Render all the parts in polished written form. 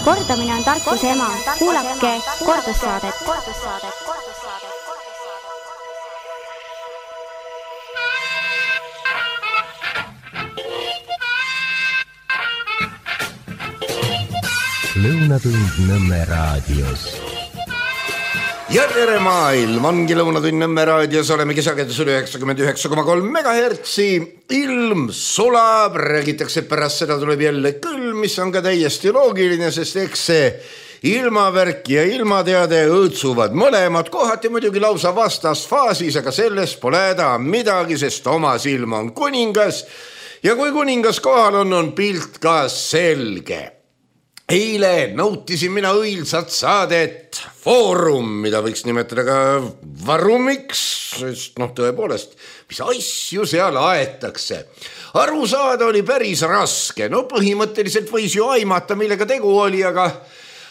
Kordamine on tarkuse ema. Kuulake kordussaadet. Lõunatund Nõmme raadios. Ja tere maailm, ongi Lõunatund Nõmme raadios, oleme sagedus 99,3 MHz. Ilm sulab, räägitakse pärast seda tuleb jälle külm, mis on ka täiesti loogiline, sest eks see ilmavärk ja ilmateade õõtsuvad mõlemad, kohati muidugi lausa vastasfaasis, aga sellest pole häda midagi, sest oma silm on kuningas ja kui kuningas kohal on pilt ka selge. Eile nautisin mina õilsat saadet Foorum, mida võiks nimetada ka varumiks, sest tõepoolest, mis asju seal aetakse. Aru saada oli päris raske, põhimõtteliselt võis ju aimata, millega tegu oli, aga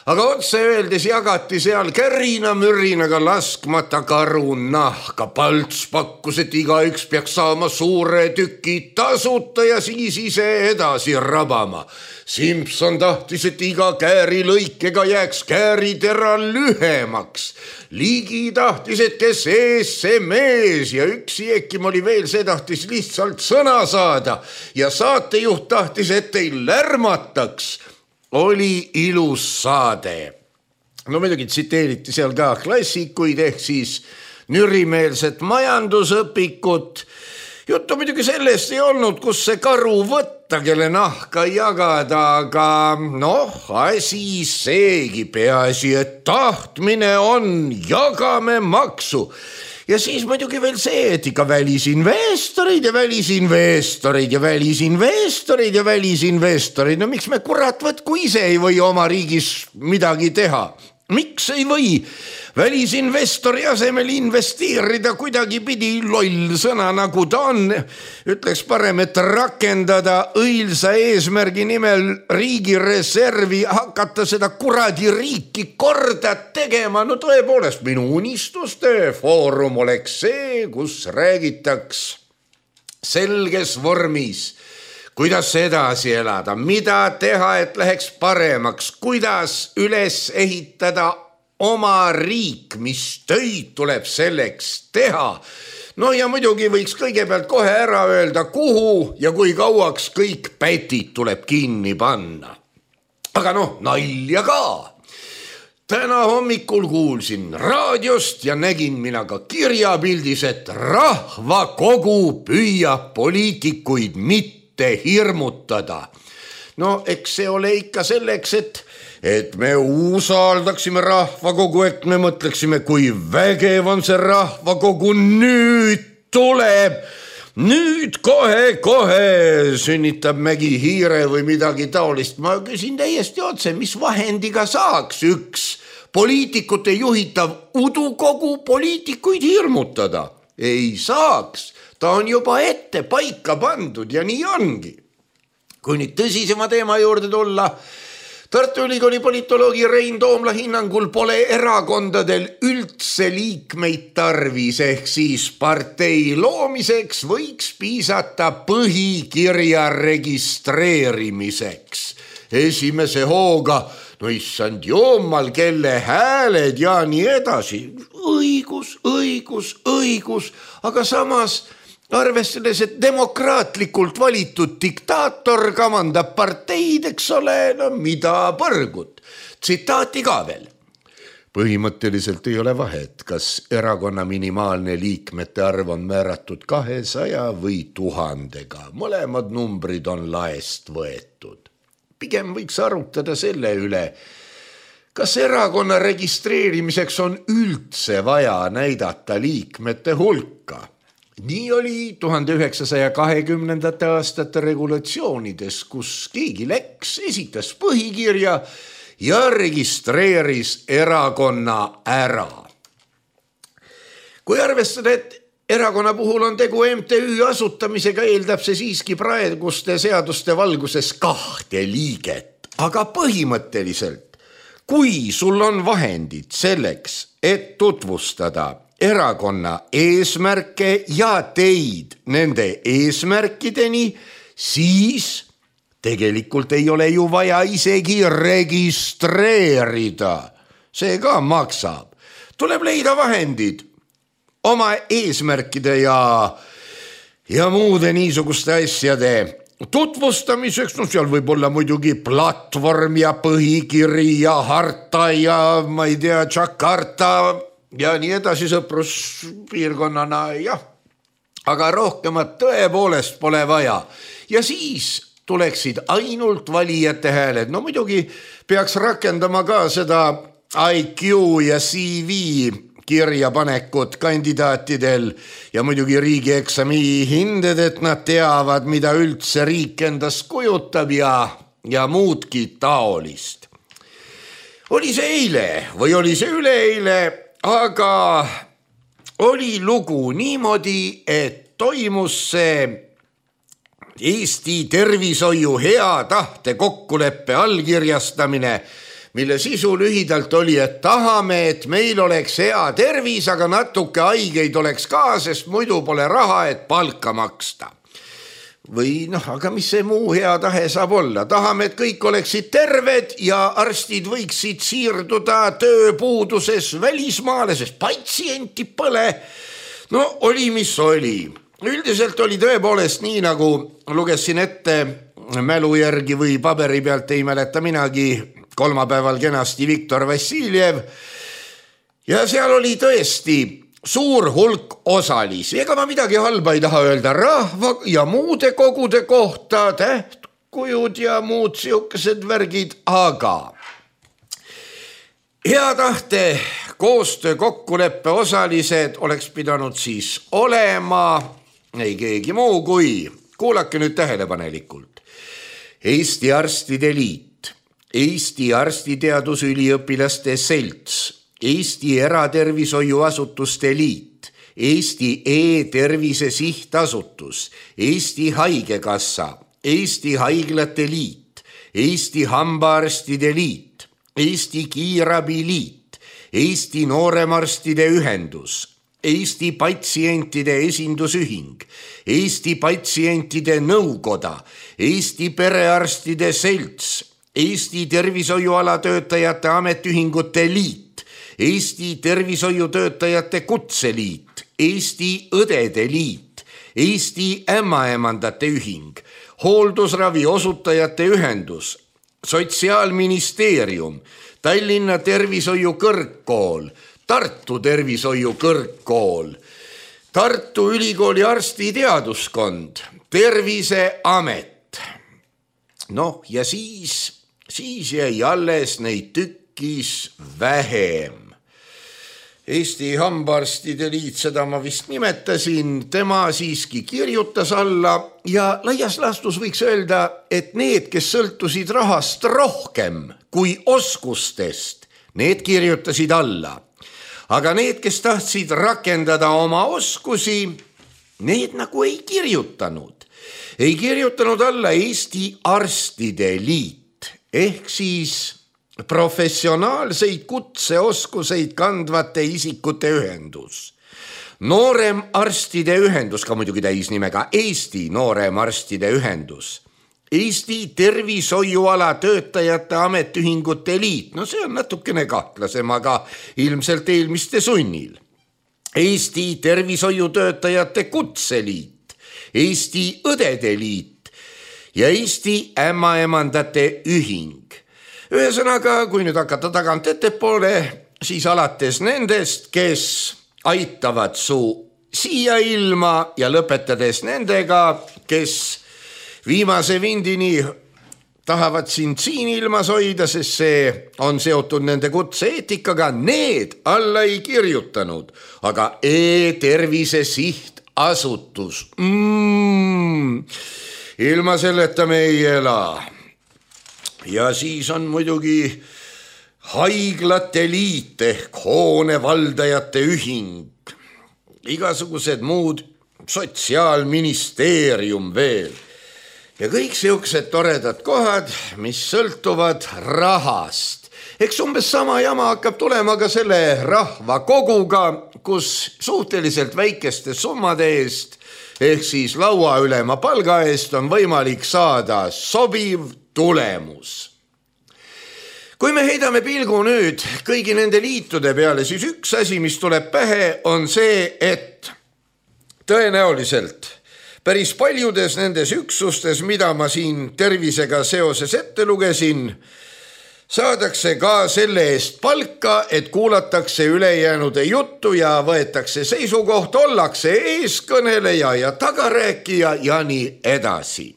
otse öeldes jagati seal kärina-mürinaga laskmata karu nahka. Palts pakkus, et igaüks peaks saama suure tüki tasuta ja siis ise edasi rabama. Simpson tahtis, et iga käärilõikega jääks kääritera lühemaks. Ligi tahtis, et kes ees, see mees ja üksi Ekim oli veel, see tahtis lihtsalt sõna saada ja saatejuht tahtis, et ei lärmataks. Oli ilus saade. Muidugi tsiteeriti seal ka klassikuid ehk siis nürimeelset majandusõpikut. Juttu muidugi sellest ei olnud, kus see karu võtta, kelle nahka jagada, aga asi seegi peaasi, et tahtmine on, jagame maksu. Ja siis muidugi veel see, et ikka välisinvestorid ja välisinvestorid ja välisinvestorid ja välisinvestorid. Miks me kurat võtku ise ei või oma riigis midagi teha? Miks ei või välisinvestori asemel investeerida kuidagi pidi loll sõna nagu ta on? Ütleks parem, et rakendada õilsa eesmärgi nimel riigi reservi, hakata seda kuradi riiki korda tegema. Tõepoolest, minu unistuste foorum oleks see, kus räägitaks selges vormis, kuidas edasi elada, mida teha, et läheks paremaks, kuidas üles ehitada oma riik, mis töid tuleb selleks teha. Ja muidugi võiks kõigepealt kohe ära öelda, kuhu ja kui kauaks kõik pätid tuleb kinni panna. Aga nalja ka. Täna hommikul kuulsin raadiost ja nägin mina ka kirjapildis, et rahvakogu püüab poliitikuid mitte hirmutada. Eks see ole ikka selleks, et me usaldaksime rahvakogu, et me mõtleksime, kui vägev on see rahvakogu, nüüd tuleb, nüüd kohe sünnitab Mägi hiire või midagi taolist. Ma küsin täiesti otse, mis vahendiga saaks üks poliitikute juhitav udukogu poliitikuid hirmutada? Ei saaks, ta on juba ette paika pandud ja nii ongi. Kui nüüd tõsisema teema juurde tulla, Tartu Ülikooli politoloogi Rein Toomla hinnangul pole erakondadel üldse liikmeid tarvis, ehk siis partei loomiseks võiks piisata põhikirja registreerimiseks. Esimese hooga, issand jummal, kelle hääled ja nii edasi. Õigus, aga samas arvestades, et demokraatlikult valitud diktaator kamandab parteid, eks ole, mida põrgut. Tsitaati ka veel. Põhimõtteliselt ei ole vahet, kas erakonna minimaalne liikmete arv on määratud 200 või 1000-ga. Mõlemad numbrid on laest võetud. Pigem võiks arutada selle üle, kas erakonna registreerimiseks on üldse vaja näidata liikmete hulka. Nii oli 1920. aastate regulatsioonides, kus keegi läks, esitas põhikirja ja registreeris erakonna ära. Kui arvestada, et erakonna puhul on tegu MTÜ asutamisega, eeldab see siiski praeguste seaduste valguses 2 liiget. Aga põhimõtteliselt, kui sul on vahendid selleks, et tutvustada erakonna eesmärke ja teid nende eesmärkideni, siis tegelikult ei ole ju vaja isegi registreerida. See ka maksab. Tuleb leida vahendid oma eesmärkide ja muude niisuguste asjade tutvustamiseks. No seal võib olla muidugi platvorm ja põhikiri ja harta ja ma ei tea, Jakarta ja nii edasi sõpruspiirkonnana, jah. Aga rohkemat tõepoolest pole vaja. Ja siis tuleksid ainult valijate hääled. No muidugi peaks rakendama ka seda IQ ja CV kirjapanekut kandidaatidel ja muidugi riigieksami hinded, et nad teavad, mida üldse riik endast kujutab ja muudki taolist. Oli see eile või oli see üleeile, aga oli lugu niimoodi, et toimus see Eesti tervishoiu hea tahte kokkuleppe allkirjastamine, mille sisu lühidalt oli, et tahame, et meil oleks hea tervis, aga natuke haigeid oleks ka, sest muidu pole raha, et palka maksta. Või aga mis see muu hea tahe saab olla? Tahame, et kõik oleksid terved ja arstid võiksid siirduda tööpuuduses välismaale, sest patsienti pole. No oli, mis oli. Üldiselt oli tõepoolest nii, nagu lugesin ette mälu järgi või paberi pealt, ei mäleta minagi, kolmapäeval kenasti Viktor Vassiljev ja seal oli tõesti suur hulk osalisi. Ega ma midagi halba ei taha öelda rahva ja muude kogude kohta, tähtkujud ja muud siukesed värgid, aga hea tahte koostöö kokkuleppe osalised oleks pidanud siis olema ei keegi muu kui, kuulake nüüd tähelepanelikult, Eesti Arstide Liit, Eesti Arstiteadusüliõpilaste Selts, Eesti Eratervishoiuasutuste Liit, Eesti E-tervise sihtasutus, Eesti Haigekassa, Eesti Haiglate Liit, Eesti Hambaarstide Liit, Eesti Kiirabi Liit, Eesti Nooremarstide Ühendus, Eesti Patsientide Esindusühing, Eesti Patsientide Nõukoda, Eesti Perearstide Selts, Eesti Tervishoiualatöötajate Ametiühingute Liit, Eesti Tervishoiutöötajate Kutseliit, Eesti Õdede Liit, Eesti Ämmaemandate Ühing, Hooldusravi osutajate ühendus, Sotsiaalministeerium, Tallinna Tervishoiu Kõrgkool, Tartu Tervishoiu Kõrgkool, Tartu Ülikooli arstiteaduskond, Terviseamet. Ja siis jäi alles neid tükkis vähem. Eesti Hambaarstide Liit, seda ma vist nimetasin, tema siiski kirjutas alla ja laias laastus võiks öelda, et need, kes sõltusid rahast rohkem kui oskustest, need kirjutasid alla. Aga need, kes tahtsid rakendada oma oskusi, need nagu ei kirjutanud. Ei kirjutanud alla Eesti Arstide Liit, ehk siis professionaalseid kutseoskuseid kandvate isikute ühendus. Nooremarstide ühendus, ka muidugi täisnimega Eesti Nooremarstide ühendus. Eesti Tervishoiuala Töötajate Ametiühingute Liit, see on natukene kahtlasem, aga ilmselt eelmiste sunnil. Eesti Tervishoiutöötajate Kutseliit, Eesti Õdede Liit ja Eesti Ämmaemandate Ühing. Ühesõnaga, kui nüüd hakata tagant ettepoole, siis alates nendest, kes aitavad su siia ilma ja lõpetades nendega, kes viimase vindini tahavad sind siin ilmas hoida, sest see on seotud nende kutse-eetikaga, need alla ei kirjutanud, aga E-tervise sihtasutus. Ilma selleta me ei ela. Ja siis on muidugi Haiglate Liit ehk Hoonevaldajate Ühing, igasugused muud, Sotsiaalministeerium veel. Ja kõik siuksed toredad kohad, mis sõltuvad rahast. Eks umbes sama jama hakkab tulema ka selle rahvakoguga, kus suhteliselt väikeste summade eest ehk siis lauaülema palga eest on võimalik saada sobiv tulemus. Kui me heidame pilgu nüüd kõigi nende liitude peale, siis üks asi, mis tuleb pähe, on see, et tõenäoliselt päris paljudes nendes üksustes, mida ma siin tervisega seoses ette lugesin, saadakse ka selle eest palka, et kuulatakse ülejäänude juttu ja võetakse seisukoht, ollakse eeskõneleja ja tagarääkija ja nii edasi.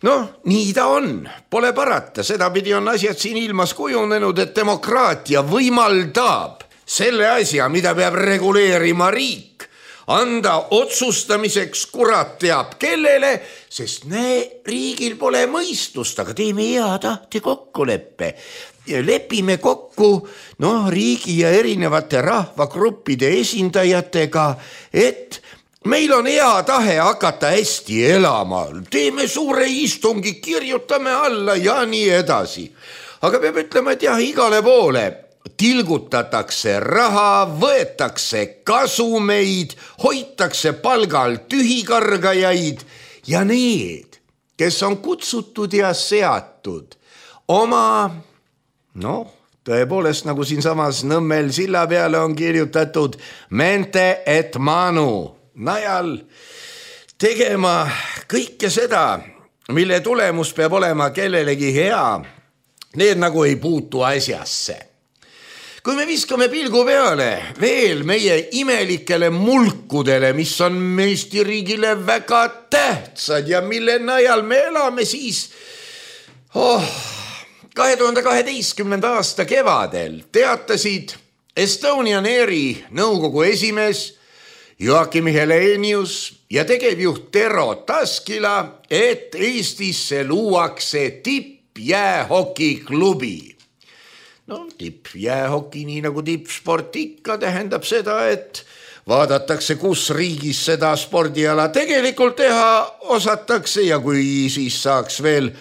Noh, nii ta on, pole parata, sedapidi on asjad siin ilmas kujunenud, et demokraatia võimaldab selle asja, mida peab reguleerima riik, anda otsustamiseks kurat teab kellele, sest riigil pole mõistust, aga teeme hea tahte kokkuleppe. Lepime kokku riigi ja erinevate rahvagruppide esindajatega, et meil on hea tahe hakata hästi elama, teeme suure istungi, kirjutame alla ja nii edasi. Aga peab ütlema, et jah, igale poole tilgutatakse raha, võetakse kasumeid, hoitakse palgal tühikargajaid ja need, kes on kutsutud ja seatud oma, tõepoolest nagu siin samas Nõmmel silla peale on kirjutatud mente et manu najal tegema kõike seda, mille tulemus peab olema kellelegi hea, need nagu ei puutu asjasse. Kui me viskame pilgu peale veel meie imelikele mulkudele, mis on Eesti riigile väga tähtsad ja mille najal me elame, siis 2012. aasta kevadel teatasid Estonian Airi nõukogu esimees Joakim Helenius ja tegevjuht Tero Taskila, et Eestisse luuakse tippjäähokiklubi. Tippjäähoki, nii nagu tippsport ikka, tähendab seda, et vaadatakse, kus riigis seda spordiala tegelikult teha osatakse ja kui siis saaks veel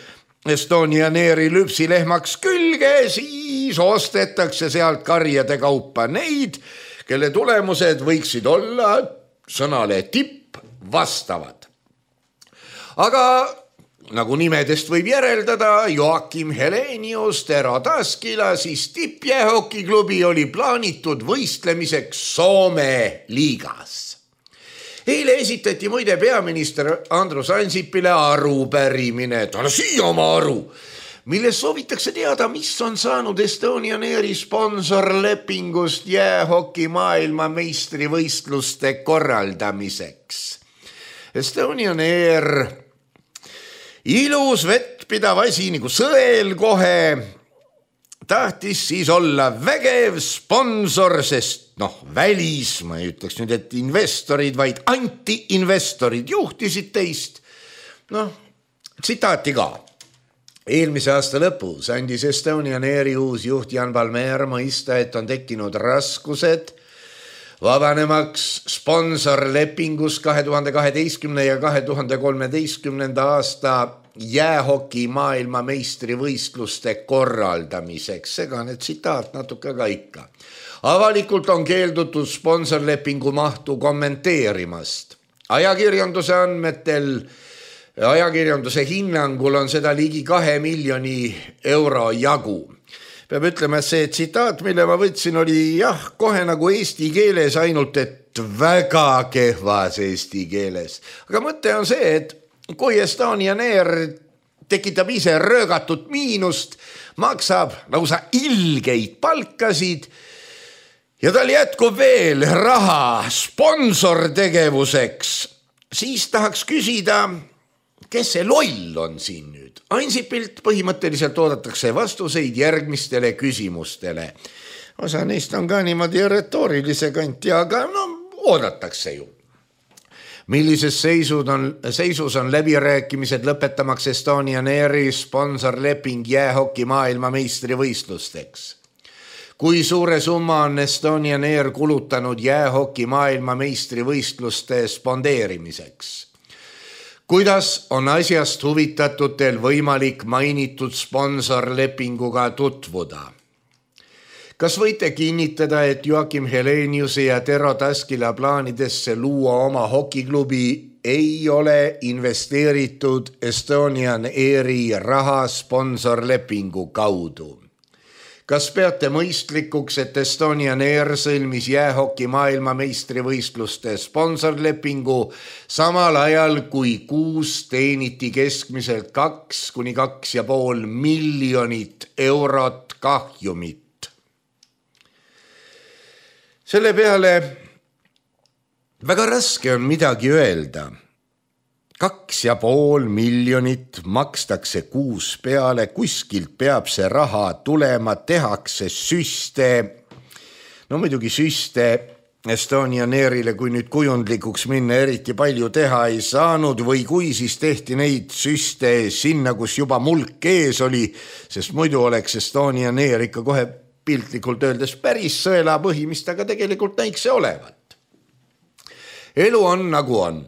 Estonian Airi lüpsilehmaks külge, siis ostetakse sealt karjade kaupa neid, kelle tulemused võiksid olla sõnale tipp vastavad. Aga nagu nimedest võib järeldada, Joakim Helenius, Tero Taskila, siis tippjäähokiklubi oli plaanitud võistlemiseks Soome liigas. Eile esitati muide peaminister Andrus Ansipile arupärimine, ta siia oma aru, milles soovitakse teada, mis on saanud Estonian Airi sponsorlepingust jäähoki maailmameistrivõistluste korraldamiseks. Estonian Air, ilus vettpidav asi nagu sõel kohe, tahtis siis olla vägev sponsor, sest välis, ma ei ütleks nüüd, et investorid, vaid anti-investorid juhtisid teist. Tsitaati ka. Eelmise aasta lõpus andis Estonian Airi uus juht Jan Palmér mõista, et on tekkinud raskused vabanemaks sponsorlepingus 2012. ja 2013. aasta jäähoki maailmameistrivõistluste korraldamiseks. Segane tsitaat natuke ka ikka. Avalikult on keeldutud sponsorlepingu mahtu kommenteerimast. Ajakirjanduse hinnangul on seda ligi 2 miljoni euro jagu. Peab ütlema, et see tsitaat, mille ma võtsin, oli kohe nagu eesti keeles, ainult et väga kehvas eesti keeles. Aga mõte on see, et kui Estonian Air tekitab ise röögatut miinust, maksab lausa ilgeid palkasid ja tal jätkub veel raha sponsortegevuseks, siis tahaks küsida, kes see loll on siin nüüd? Ansipilt põhimõtteliselt oodatakse vastuseid järgmistele küsimustele. Osa neist on ka niimoodi retoorilise kanti, aga oodatakse ju. Millises seisus on läbirääkimised lõpetamaks Estonian Airi sponsorleping jäähoki maailmameistrivõistlusteks? Kui suure summa on Estonian Air kulutanud jäähoki maailmameistrivõistluste spondeerimiseks? Kuidas on asjast huvitatutel võimalik mainitud sponsorlepinguga tutvuda? Kas võite kinnitada, et Joakim Heleniuse ja Tero Taskila plaanidesse luua oma hokiklubi ei ole investeeritud Estonian Airi raha sponsorlepingu kaudu. Kas peate mõistlikuks, et Estonian Air sõlmis jäähoki maailmameistrivõistluste sponsorlepingu samal ajal, kui kuus teeniti keskmiselt 2–2,5 miljonit eurot kahjumit? Selle peale väga raske on midagi öelda. 2,5 miljonit makstakse kuus peale, kuskilt peab see raha tulema, tehakse süste. No muidugi süste Estonian Airile, kui nüüd kujundlikuks minna, eriti palju teha ei saanud või kui siis tehti neid süste sinna, kus juba mulk ees oli, sest muidu oleks Estonian Air ikka kohe piltlikult öeldes päris sõelapõhi, mis ta ka tegelikult näiks olevat. Elu on nagu on.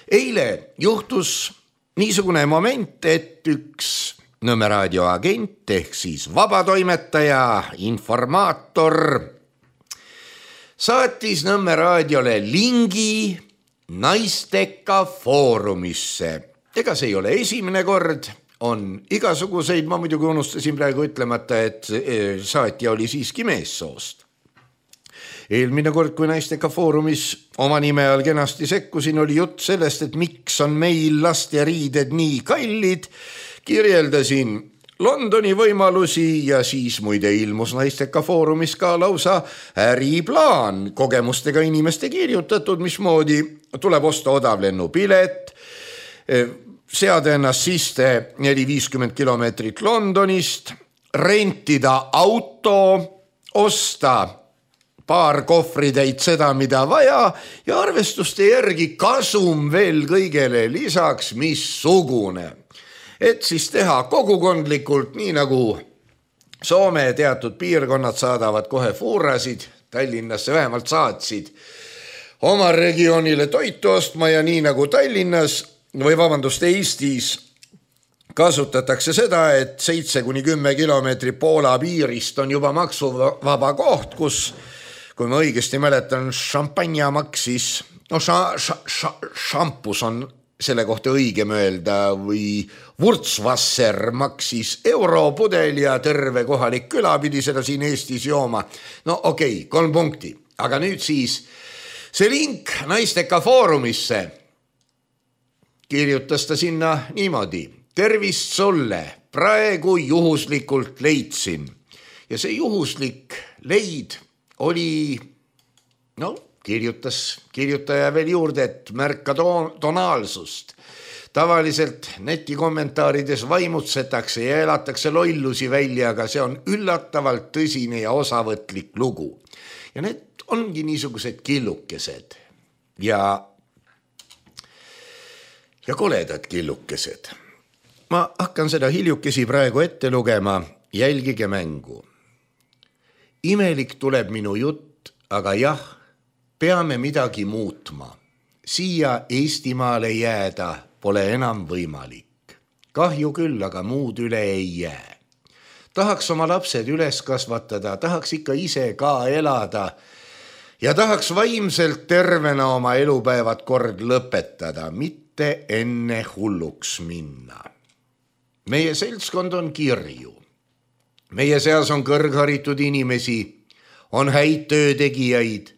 Eile juhtus niisugune moment, et üks Nõmme raadio agent ehk siis vabatoimetaja, informaator saatis Nõmme raadiole lingi Naisteka foorumisse. Ega see ei ole esimene kord, on igasuguseid, ma muidugi unustasin praegu ütlemata, et saatja oli siiski meessoost. Eelmine kord, kui Naisteka foorumis oma nime all kenasti sekkusin, oli jutt sellest, et miks on meil lasteriided nii kallid. Kirjeldasin Londoni võimalusi ja siis muide ilmus Naisteka foorumis ka lausa äriplaan, kogemustega inimeste kirjutatud, mismoodi tuleb osta odavlennupilet, seada ennast sisse 450 kilomeetrit Londonist, rentida auto, osta paar kohvritäit seda, mida vaja ja arvestuste järgi kasum veel kõigele lisaks missugune. Et siis teha kogukondlikult, nii nagu Soome teatud piirkonnad saadavad kohe fuurasid, Tallinnasse vähemalt saatsid oma regioonile toitu ostma ja nii nagu Tallinnas või Eestis kasutatakse seda, et 7–10 kilomeetri Poola piirist on juba maksuvaba koht, kus kui ma õigesti mäletan, šampanja maksis, no šampus on selle kohta õigem öelda, või Wurtzwasser maksis europudel ja terve kohalik küla pidi seda siin Eestis jooma. No okei, 3 punkti. Aga nüüd siis see link Naisteka foorumisse kirjutas ta sinna niimoodi. Tervist sulle, praegu juhuslikult leidsin. Ja see juhuslik leid oli, no kirjutaja veel juurde, et märka tonaalsust. Tavaliselt netikommentaarides vaimutsetakse ja elatakse lollusi välja, aga see on üllatavalt tõsine ja osavõtlik lugu. Ja need ongi niisugused killukesed ja koledad killukesed. Ma hakkan seda hiljukesi praegu ette lugema, jälgige mängu. Imelik tuleb minu jutt, aga jah, peame midagi muutma. Siia Eestimaale jääda pole enam võimalik. Kahju küll, aga muud üle ei jää. Tahaks oma lapsed üles kasvatada, tahaks ikka ise ka elada ja tahaks vaimselt tervena oma elupäevad kord lõpetada, mitte enne hulluks minna. Meie seltskond on kirju. Meie seas on kõrgharitud inimesi, on häid töötegijaid,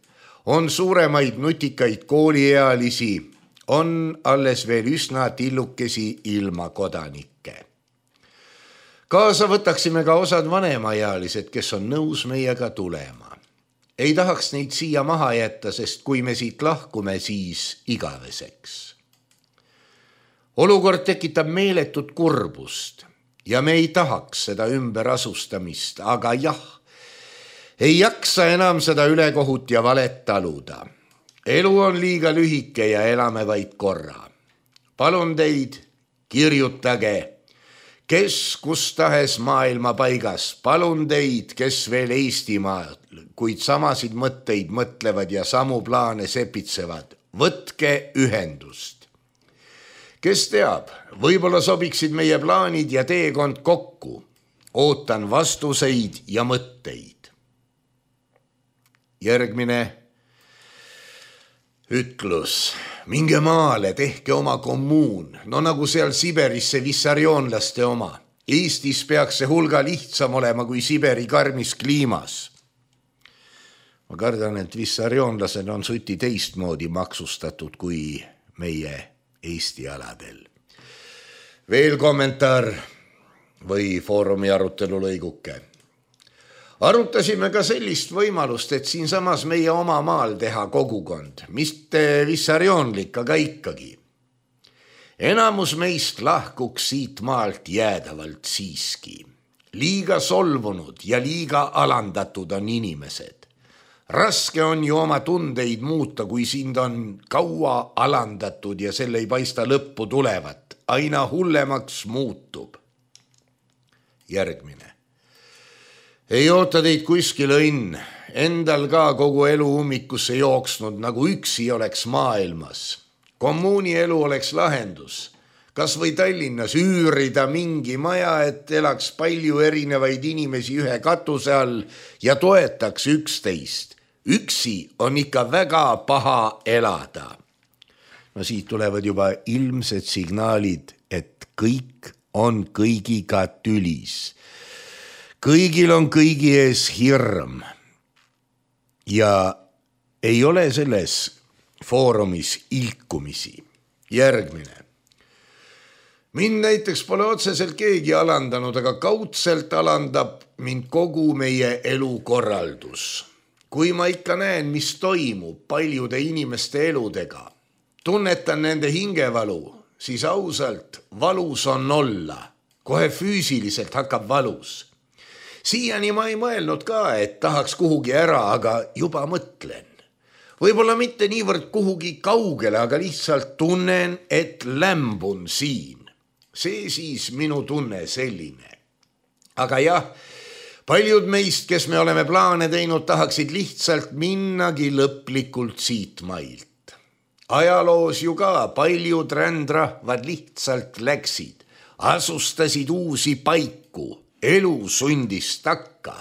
on suuremaid nutikaid kooliealisi, on alles veel üsna tillukesi ilma kodanikke. Kaasa võtaksime ka osad vanemaealised, kes on nõus meiega tulema. Ei tahaks neid siia maha jätta, sest kui me siit lahkume, siis igaveseks. Olukord tekitab meeletut kurbust. Ja me ei tahaks seda ümberasustamist, aga jah, ei jaksa enam seda ülekohut ja valet taluda. Elu on liiga lühike ja elame vaid korra. Palun teid, kirjutage, kes kus tahes maailma paigas, palun teid, kes veel Eestimaal, kuid samasid mõtteid mõtlevad ja samu plaane sepitsevad. Võtke ühendust. Kes teab, võib-olla sobiksid meie plaanid ja teekond kokku. Ootan vastuseid ja mõtteid. Järgmine ütlus. minge maale, tehke oma kommuun, no nagu seal Siberis see vissarioonlaste oma. Eestis peaks see hulga lihtsam olema kui Siberi karmis kliimas. Ma kardan, et vissarioonlased on suti teistmoodi maksustatud kui meie Eesti aladel. Veel kommentaar või foorumi arutelu lõiguke. Arutasime ka sellist võimalust, et siin samas meie oma maal teha kogukond, mitte vissarioonlik, aga ikkagi. Enamus meist lahkuks siit maalt jäädavalt siiski. Liiga solvunud ja liiga alandatud on inimesed. Raske on ju oma tundeid muuta, kui sind on kaua alandatud ja selle ei paista lõppu tulevat. Aina hullemaks muutub. Järgmine. Ei oota teid kuskil õnn. Endal ka kogu elu ummikusse jooksnud, nagu üksi oleks maailmas. Kommuuni elu oleks lahendus. Kas või Tallinnas üürida mingi maja, et elaks palju erinevaid inimesi ühe katuse all ja toetaks üksteist. Üksi on ikka väga paha elada. No siit tulevad juba ilmsed signaalid, et kõik on kõigiga tülis. Kõigil on kõigi ees hirm. Ja ei ole selles foorumis ilkumisi. Järgmine. Mind näiteks pole otseselt keegi alandanud, aga kaudselt alandab mind kogu meie elukorraldus. Kui ma ikka näen, mis toimub paljude inimeste eludega, tunnetan nende hingevalu, siis ausalt valus on olla. Kohe füüsiliselt hakkab valus. Siiani ma ei mõelnud ka, et tahaks kuhugi ära, aga juba mõtlen. Võib-olla mitte niivõrd kuhugi kaugele, aga lihtsalt tunnen, et lämbun siin. See siis minu tunne selline. Aga jah, paljud meist, kes me oleme plaane teinud, tahaksid lihtsalt minnagi lõplikult siit mailt. Ajaloos ju ka paljud rändrahvad lihtsalt läksid, asustasid uusi paiku, elu sundis takka.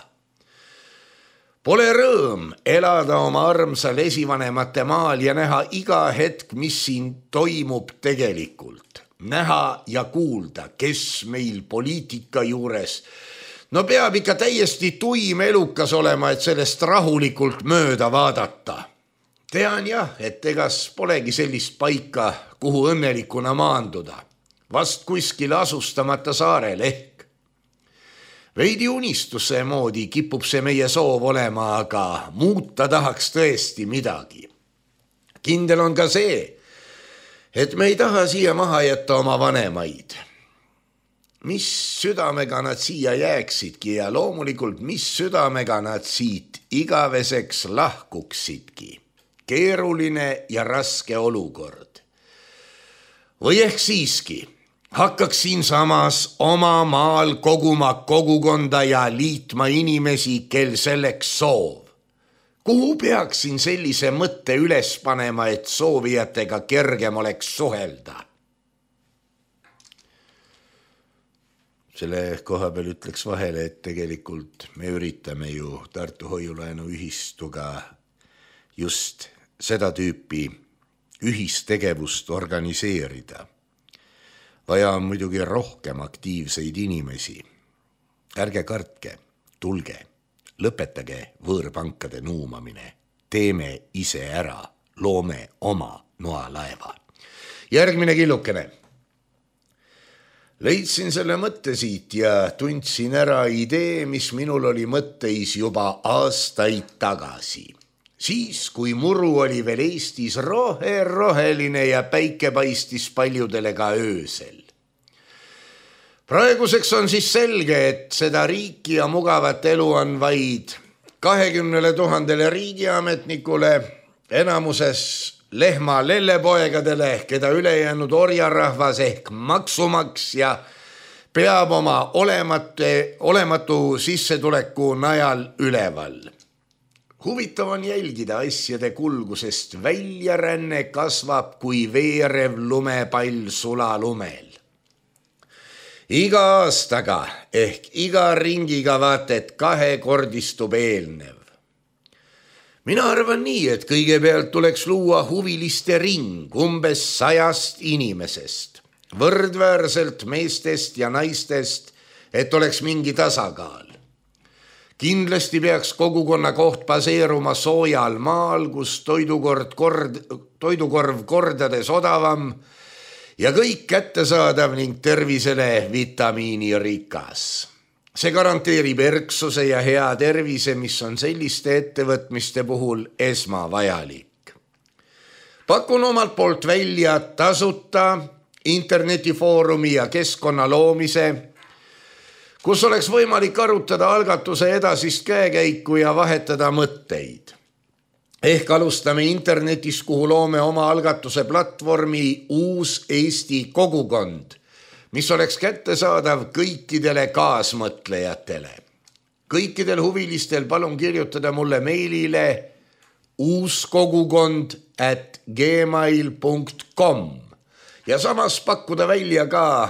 Pole rõõm elada oma armsal esivanemate maal ja näha iga hetk, mis siin toimub tegelikult. Näha ja kuulda, kes meil poliitika juures. No peab ikka täiesti tuim elukas olema, et sellest rahulikult mööda vaadata. Tean jah, et egas polegi sellist paika, kuhu õnnelikuna maanduda. Vast kuskil asustamata saarel ehk. Veidi unistuse moodi kipub see meie soov olema, aga muuta tahaks tõesti midagi. Kindel on ka see, et me ei taha siia maha jätta oma vanemaid. Mis südamega nad siia jääksidki ja loomulikult mis südamega nad siit igaveseks lahkuksidki. Keeruline ja raske olukord. Või ehk siiski hakkaks siin samas oma maal koguma kogukonda ja liitma inimesi, kel selleks soov. Kuhu peaksin sellise mõtte üles panema, et soovijatega kergem oleks suhelda? Selle koha peal ütleks vahele, et tegelikult me üritame ju Tartu Hoiulaenu ühistuga just seda tüüpi ühistegevust organiseerida. Vaja on muidugi rohkem aktiivseid inimesi. Ärge kartke, tulge, lõpetage võõrpankade nuumamine, teeme ise ära, loome oma noalaeva. Järgmine killukene. Leidsin selle mõtte siit ja tundsin ära idee, mis minul oli mõtteis juba aastaid tagasi. Siis, kui muru oli veel Eestis roheline ja päike paistis paljudele ka öösel. Praeguseks on siis selge, et seda riiki ja mugavat elu on vaid 20 000 riigiametnikule, enamuses lehma lellepoegadele, keda ülejäänud orjarahvas ehk maksumaksja peab oma olematu sissetuleku najal üleval. Huvitav on jälgida asjade kulgu, sest väljaränne kasvab kui veerev lumepall sulalumel. Iga aastaga ehk iga ringiga vaat, et kahekordistub eelnev. Mina arvan nii, et kõigepealt tuleks luua huviliste ring umbes 100 inimesest, võrdväärselt meestest ja naistest, et oleks mingi tasakaal. Kindlasti peaks kogukonna koht baseeruma soojal maal, kus toidukorv kordades odavam ja kõik kättesaadav ning tervisele vitamiinirikas. See garanteerib erksuse ja hea tervise, mis on selliste ettevõtmiste puhul esmavajalik. Pakun omalt poolt välja tasuta internetifoorumi ja keskkonna loomise, kus oleks võimalik arutada algatuse edasist käekäiku ja vahetada mõtteid. Ehk alustame internetis, kuhu loome oma algatuse platvormi Uus Eesti kogukond, mis oleks kättesaadav kõikidele kaasmõtlejatele. Kõikidel huvilistel palun kirjutada mulle meilile uuskogukond@gmail.com ja samas pakkuda välja ka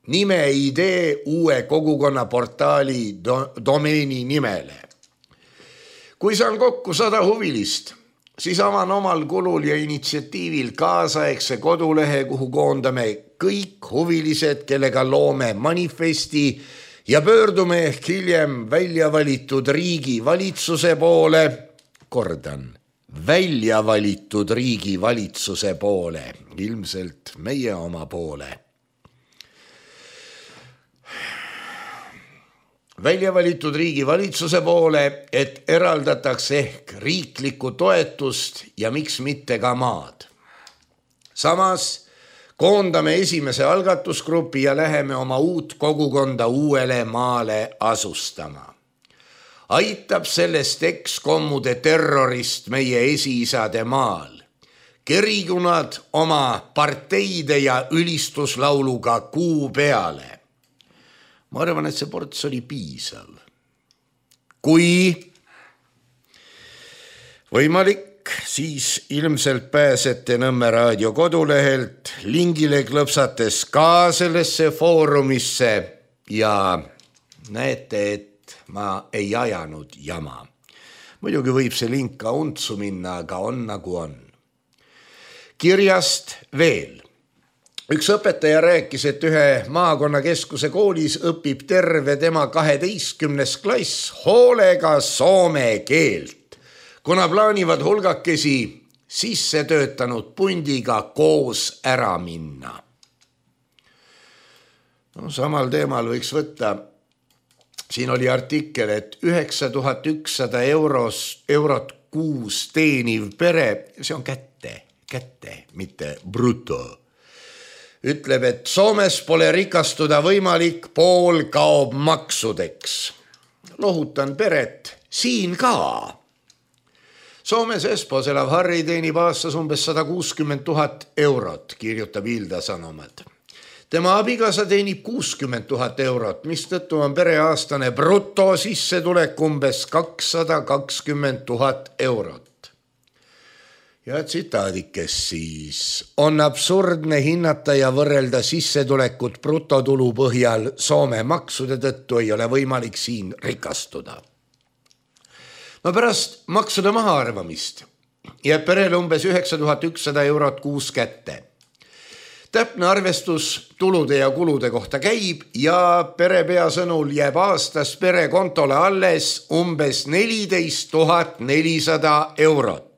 nimeidee uue kogukonna portaali domeeni nimele. Kui saan kokku 100 huvilist, siis avan omal kulul ja initsiatiivil kaasaegse kodulehe, kuhu koondame kõik huvilised, kellega loome manifesti ja pöördume ehk hiljem välja valitud riigi valitsuse poole, kordan, välja valitud riigi valitsuse poole, ilmselt meie oma poole. Välja valitud riigi valitsuse poole, et eraldatakse ehk riiklikku toetust ja miks mitte ka maad. Samas koondame esimese algatusgrupi ja läheme oma uut kogukonda uuele maale asustama. Aitab sellest ekskommude terrorist meie esiisade maal. Kerigu nad oma parteide ja ülistuslauluga kuu peale. Ma arvan, et see ports oli piisav. Kui võimalik, siis ilmselt pääsete Nõmme raadio kodulehelt lingile klõpsates ka sellesse foorumisse ja näete, et ma ei ajanud jama. Muidugi võib see link ka untsu minna, aga on nagu on. Kirjast veel. Üks õpetaja rääkis, et ühe maakonnakeskuse koolis õpib terve tema 12. klass hoolega soome keelt, kuna plaanivad hulgakesi sisse töötanud pundiga koos ära minna. No, samal teemal võiks võtta, siin oli artikkel, et 9100 eurot kuus teeniv pere, see on kätte, mitte bruto. Ütleb, et Soomes pole rikastuda võimalik, pool kaob maksudeks. Lohutan peret siin ka. Soomes Espos elav Harri teenib aastas umbes 160 000 eurot, kirjutab Ilda Sanomat. Tema abikaasa teenib 60 000 eurot, mistõttu on pereaastane bruto sissetulek umbes 220 000 eurot. Ja tsitaadikes siis. On absurdne hinnata ja võrrelda sissetulekut brutotulu põhjal. Soome maksude tõttu ei ole võimalik siin rikastuda. No pärast maksude mahaarvamist jääb perele umbes 9100 eurot kuus kätte. Täpne arvestus tulude ja kulude kohta käib ja perepea sõnul jääb aastas perekontole alles umbes 14 400 eurot.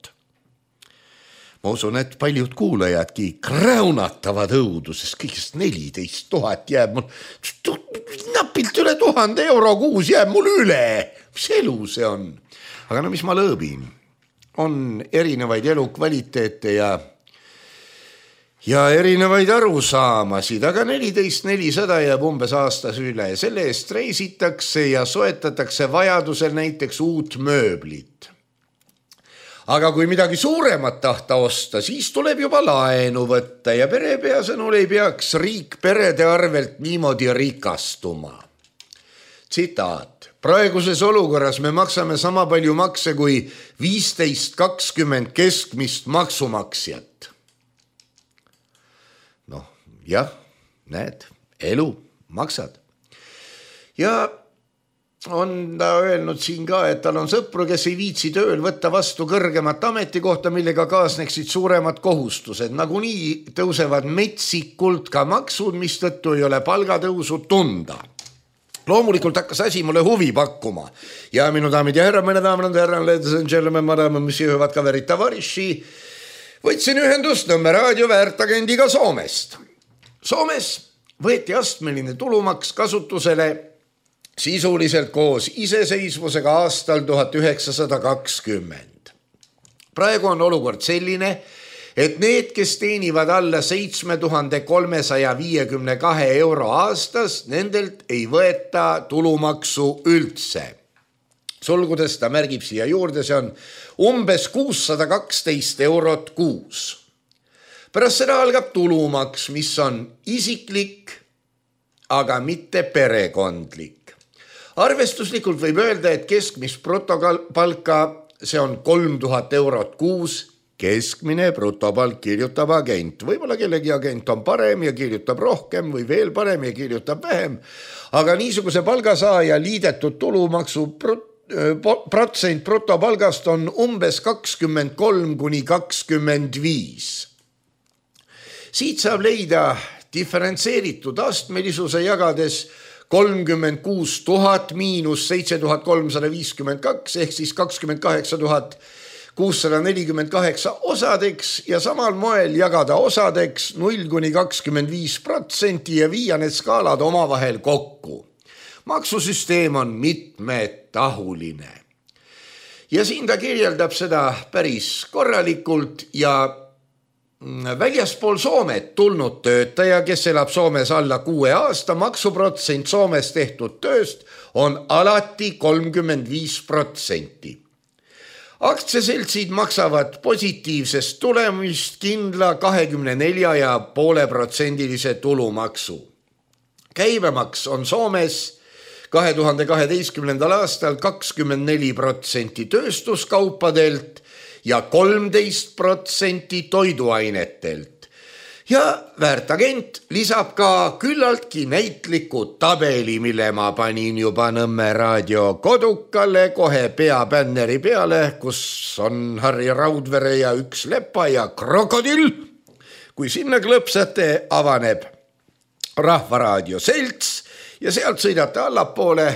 Ma usun, et paljud kuulajadki kräunatavad õudu, sest kõigest 14 000 jääb mul, napilt üle 1000 euro kuus jääb mul üle. Mis elu see on? Aga no mis ma lõõbin? On erinevaid elukvaliteete ja erinevaid arusaamasid, aga 14 400 jääb umbes aastas üle. Selle eest reisitakse ja soetatakse vajadusel näiteks uut mööblit. Aga kui midagi suuremat tahta osta, siis tuleb juba laenu võtta ja perepea sõnul ei peaks riik perede arvelt niimoodi rikastuma. Tsitaat. Praeguses olukorras me maksame sama palju makse kui 15-20 keskmist maksumaksjat. Noh, jah, näed, elu maksad. Ja on ta öelnud siin ka, et tal on sõpru, kes ei viitsi tööl võtta vastu kõrgemat ametikohta, millega kaasneksid suuremad kohustused. Nagunii tõusevad metsikult ka maksud, mistõttu ei ole palgatõusu tunda. Loomulikult hakkas asi mulle huvi pakkuma. Ja minu daamid ja härrad, mõne daamid ja härrad, ladies and gentlemen, madame, monsieur, hüvad kaverid, tavariši. Võtsin ühendust Nõmme raadio väärtagendiga Soomest. Soomes võeti astmeline tulumaks kasutusele sisuliselt koos iseseisvusega aastal 1920. Praegu on olukord selline, et need, kes teenivad alla 7352 euro aastas, nendelt ei võeta tulumaksu üldse. Sulgudes ta märgib siia juurde, see on umbes 612 eurot kuus. Pärast seda algab tulumaks, mis on isiklik, aga mitte perekondlik. Arvestuslikult võib öelda, et keskmist brutopalka, see on 3000 eurot kuus, keskmine brutopalk kirjutab agent. Võib-olla kellegi agent on parem ja kirjutab rohkem või veel parem ja kirjutab vähem, aga niisuguse palgasaaja liidetud tulumaksu protsent brutopalgast on umbes 23–25. Siit saab leida diferentseeritud astmelisuse jagades 36 000 miinus 7352 ehk siis 28 648 osadeks ja samal moel jagada osadeks 0–25% ja viia need skaalad omavahel kokku. Maksusüsteem on mitmetahuline. Ja siin ta kirjeldab seda päris korralikult ja väljaspool Soomet tulnud töötaja, kes elab Soomes alla 6 aasta, maksuprotsent Soomes tehtud tööst on alati 35%. Aktsiaseltsid maksavad positiivsest tulemist kindla 24,5% tulumaksu. Käibemaks on Soomes 2012. aastal 24% tööstuskaupadelt ja 13% toiduainetelt. Ja väärtagent lisab ka küllaltki näitliku tabeli, mille ma panin juba Nõmme raadio kodukale kohe peabänneri peale, kus on Harri Raudvere ja üks lepa ja krokodill. Kui sinna klõpsate, avaneb Rahvaraadio selts ja sealt sõidate allapoole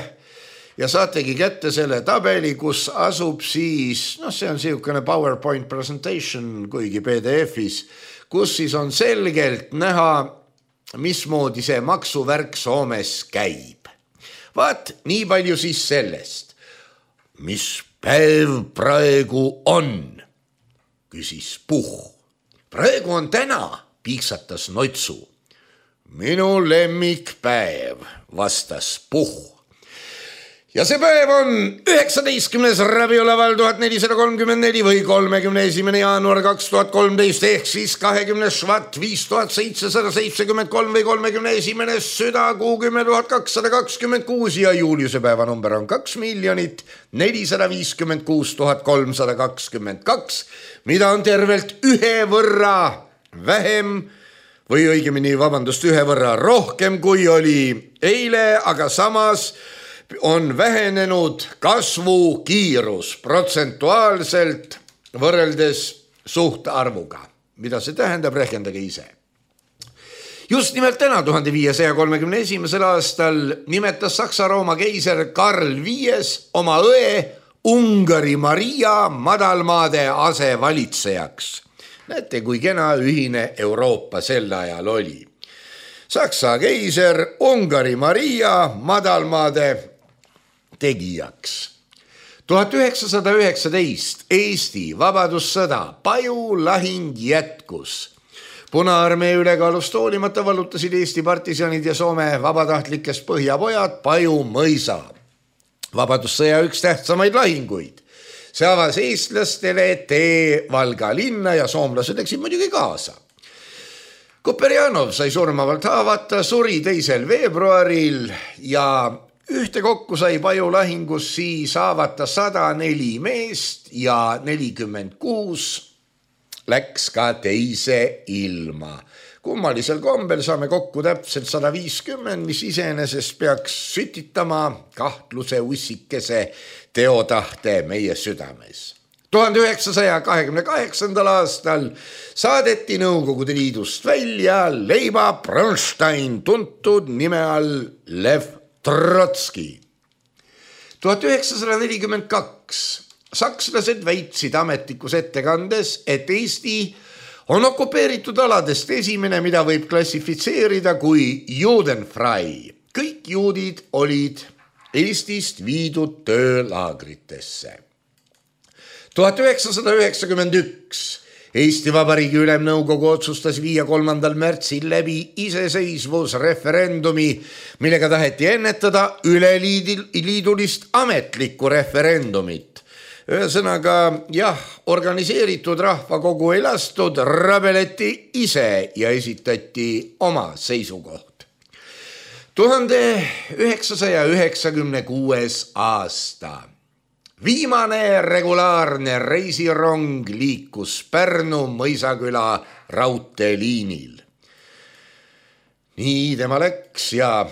ja saategi kätte selle tabeli, kus asub siis, see on siukene PowerPoint presentation, kuigi PDF-is, kus siis on selgelt näha, mismoodi see maksuvärk Soomes käib. Vaat, nii palju siis sellest. Mis päev praegu on? Küsis Puh. Praegu on täna, piiksatas Notsu. Minu lemmikpäev, vastas Puh. Ja see päev on 19. rabiolaval 1434 või 31. jaanuar 2013 ehk siis 20. švat 5773 või 31. südakuu 10 226 ja Juliuse päeva number on 2 456 322, mida on tervelt ühe võrra vähem või õigemini, ühe võrra rohkem kui oli eile, aga samas on vähenenud kasvukiirus protsentuaalselt võrreldes suhtarvuga. Mida see tähendab, rehkendage ise. Just nimelt täna 1531. aastal nimetas Saksa-Rooma keiser Karl V oma õe Ungari Maria madalmaade asevalitsejaks. Näete, kui kena ühine Euroopa sel ajal oli. Saksa keiser Ungari Maria madalmaade tegijaks. 1919 Eesti vabadussõda pajulahing jätkus. Punaarmee ülekaalust hoolimata vallutasid Eesti partisanid ja Soome vabatahtlikest põhjapojad Paju mõisa. Vabadussõja üks tähtsamaid lahinguid. See avas eestlastele tee Valga linna ja soomlased läksid muidugi kaasa. Kuperjanov sai surmavalt haavata, suri 2. veebruaril ja ühtekokku sai Paju lahingus siis haavata 104 meest ja 46 läks ka teise ilma. Kummalisel kombel saame kokku täpselt 150, mis iseenesest peaks sütitama kahtluse ussikese teotahte meie südames. 1928. aastal saadeti Nõukogude Liidust välja Leiba Bronstein, tuntud nime all Lev Trotski. 1942 sakslased väitsid ametlikus ettekandes, et Eesti on okupeeritud aladest esimene, mida võib klassifitseerida kui judenfrei. Kõik juudid olid Eestist viidud töölaagritesse. 1991 Eesti Vabariigi Ülemnõukogu otsustas viia 3. märtsil läbi iseseisvusreferendumi, millega taheti ennetada üleliidulist ametlikku referendumit. Ühesõnaga, organiseeritud rahvakogu ei lastud, rabeleti ise ja esitati oma seisukoht. 1996. aasta. Viimane regulaarne reisirong liikus Pärnu Mõisaküla raudteeliinil. Nii tema läks ja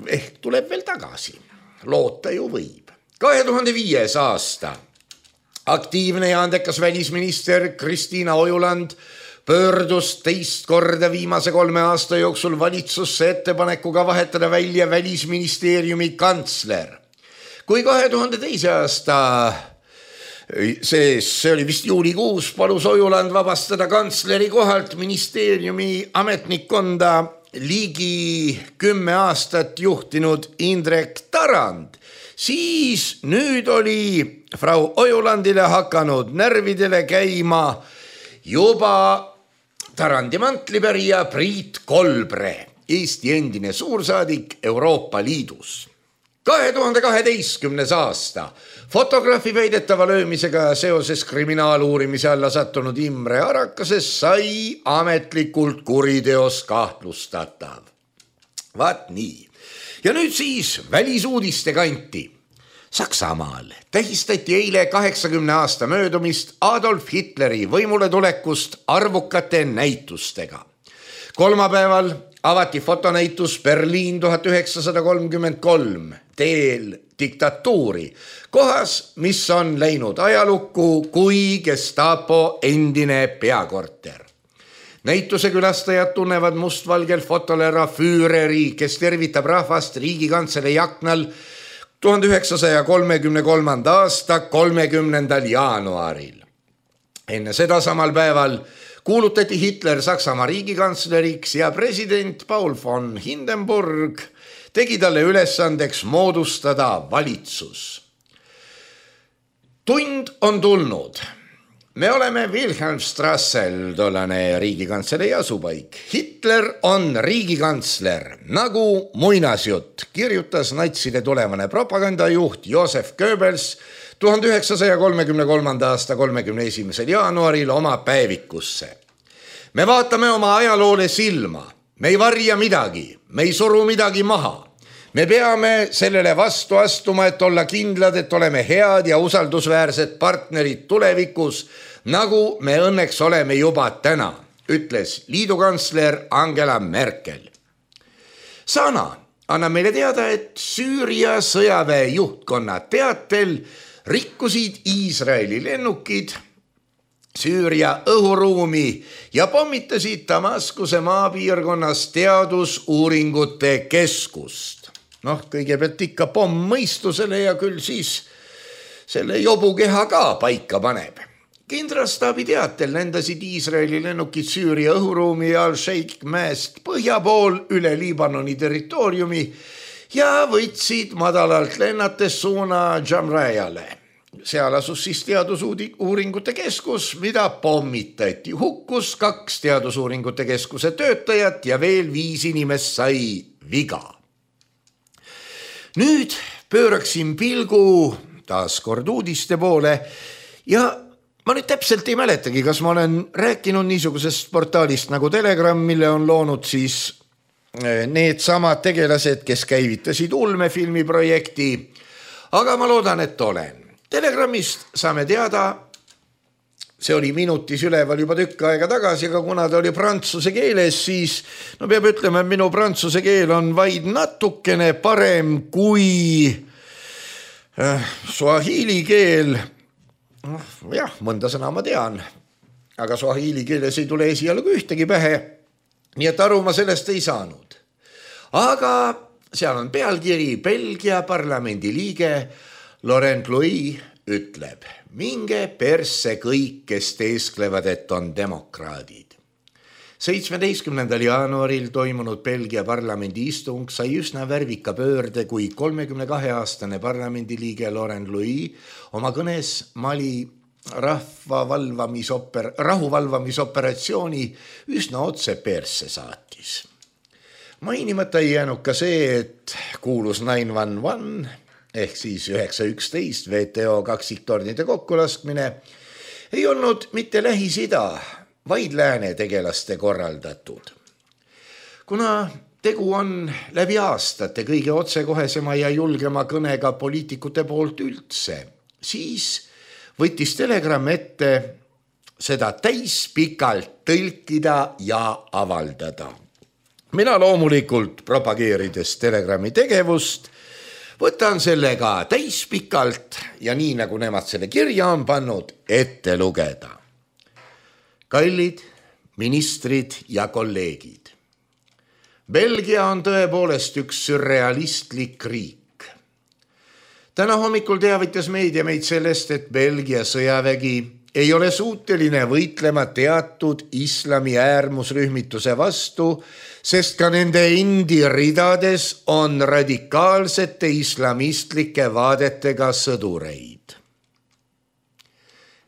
ehk tuleb veel tagasi. Loota ju võib. 2005. aasta. Aktiivne ja andekas välisminister Kristiina Ojuland pöördus teist korda viimase 3 aasta jooksul valitsusse ettepanekuga vahetada välja Välisministeeriumi kantsler. Kui 2002. aasta, see oli vist juulikuus, palus Ojuland vabastada kantsleri kohalt ministeeriumi ametnikkonda ligi 10 aastat juhtinud Indrek Tarand, siis nüüd oli Frau Ojulandile hakanud närvidele käima juba Tarandi mantlipärija Priit Kolbre, Eesti endine suursaadik Euroopa Liidus. 2012. aasta fotograafi väidetava löömisega seoses kriminaaluurimise alla sattunud Imre Arakases sai ametlikult kuriteos kahtlustatav. Vaat nii. Ja nüüd siis välisuudiste kanti. Saksamaal tähistati eile 80 aasta möödumist Adolf Hitleri võimule tulekust arvukate näitustega. Kolmapäeval avati fotonäitus Berliin 1933 teel diktatuuri, kohas, mis on läinud ajalukku kui Gestapo endine peakorter. Näituse külastajad tunnevad mustvalgel fotolera Füüreri, kes tervitab rahvast Riigikantselei aknal 1933. aasta 30. jaanuaril. Enne seda samal päeval kuulutati Hitler Saksamaa riigikantsleriks ja president Paul von Hindenburg tegi talle ülesandeks moodustada valitsus. Tund on tulnud. Me oleme Wilhelmstrassel, tollane riigikantselei asupaik. Hitler on riigikantsler, nagu muinasjutt, kirjutas natside tulevane propagandajuht Josef Goebbels 1933. aasta 31. jaanuaril oma päevikusse. Me vaatame oma ajaloole silma, me ei varja midagi, me ei suru midagi maha. Me peame sellele vastu astuma, et olla kindlad, et oleme head ja usaldusväärsed partnerid tulevikus, nagu me õnneks oleme juba täna, ütles liidukantsler Angela Merkel. Sana annab meile teada, et Süüria sõjaväe juhtkonna teatel rikkusid Iisraeli lennukid Süüria õhuruumi ja pommitasid Damaskuse maapiirkonnas teadusuuringute keskust. Kõigepealt ikka pomm mõistusele ja küll siis selle jobukeha ka paika paneb. Kindralstaabi teatel lendasid Iisraeli lennukid Süüria õhuruumi Al-Sheikh mäest põhja pool üle Liibanoni territooriumi ja võtsid madalalt lennates suuna Jamrajale. Seal asus siis teadusuuringute keskus, mida pommitati. Hukkus 2 teadusuuringute keskuse töötajat ja veel 5 inimest sai viga. Nüüd pööraksin pilgu taas kord uudiste poole ja ma nüüd täpselt ei mäletagi, kas ma olen rääkinud niisugusest portaalist nagu Telegram, mille on loonud siis need samad tegelased, kes käivitasid ulmefilmi projekti, aga ma loodan, et olen. Telegramist saame teada see oli minutis üleval juba tükk aega tagasi, aga kuna ta oli prantsuse keeles, siis peab ütlema, et minu prantsuse keel on vaid natukene parem kui swahili keel. Jah, mõnda sõna ma tean, aga swahili keeles ei tule esialgu ühtegi pähe, nii et aru ma sellest ei saanud. Aga seal on pealkiri: Belgia parlamendi liige Laurent Louis ütleb: minge persse kõik, kes teesklevad, et on demokraadid. 17. jaanuaril toimunud Belgia parlamendi istung sai üsna värvika pöörde, kui 32-aastane parlamendiliige Laurent Louis oma kõnes Mali rahuvalvamisoperatsiooni üsna otse persse saatis. Mainimata ei jäänud ka see, et kuulus 911 ehk siis 911 WTO kaksiktornide kokkulaskmine ei olnud mitte Lähis-Ida, vaid lääne tegelaste korraldatud. Kuna tegu on läbi aastate kõige otsekohesema ja julgema kõnega poliitikute poolt üldse, siis võttis Telegram ette seda täispikalt tõlkida ja avaldada. Mina loomulikult propageerides Telegrami tegevust võtan sellega täispikalt ja nii nagu nemad selle kirja on pannud, ette lugeda. Kallid ministrid ja kolleegid. Belgia on tõepoolest üks surrealistlik riik. Täna hommikul teavitas meedia meid sellest, et Belgia sõjavägi ei ole suuteline võitlema teatud islami äärmusrühmituse vastu, sest ka nende endi ridades on radikaalsete islamistlike vaadetega sõdureid.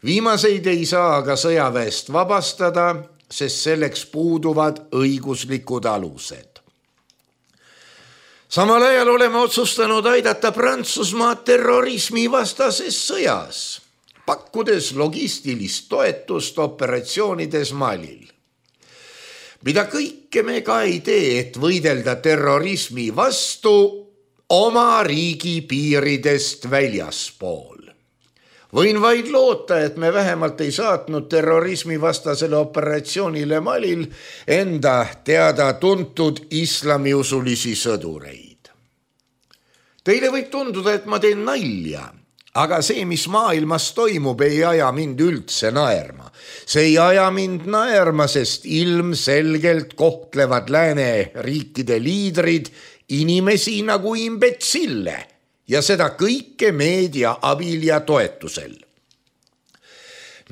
Viimaseid ei saa aga sõjaväest vabastada, sest selleks puuduvad õiguslikud alused. Samal ajal oleme otsustanud aidata Prantsusmaad terrorismi vastases sõjas, pakkudes logistilist toetust operatsioonides Malil. Mida kõike me ka ei tee, et võidelda terrorismi vastu oma riigi piiridest väljaspool. Võin vaid loota, et me vähemalt ei saatnud terrorismi vastasele operatsioonile Malil enda teada tuntud islamiusulisi sõdureid. Teile võib tunduda, et ma teen nalja, aga see, mis maailmas toimub, ei aja mind üldse naerma. See ei aja mind naerma, sest ilmselgelt kohtlevad lääne riikide liidrid inimesi nagu imbetsille ja seda kõike meedia abil ja toetusel.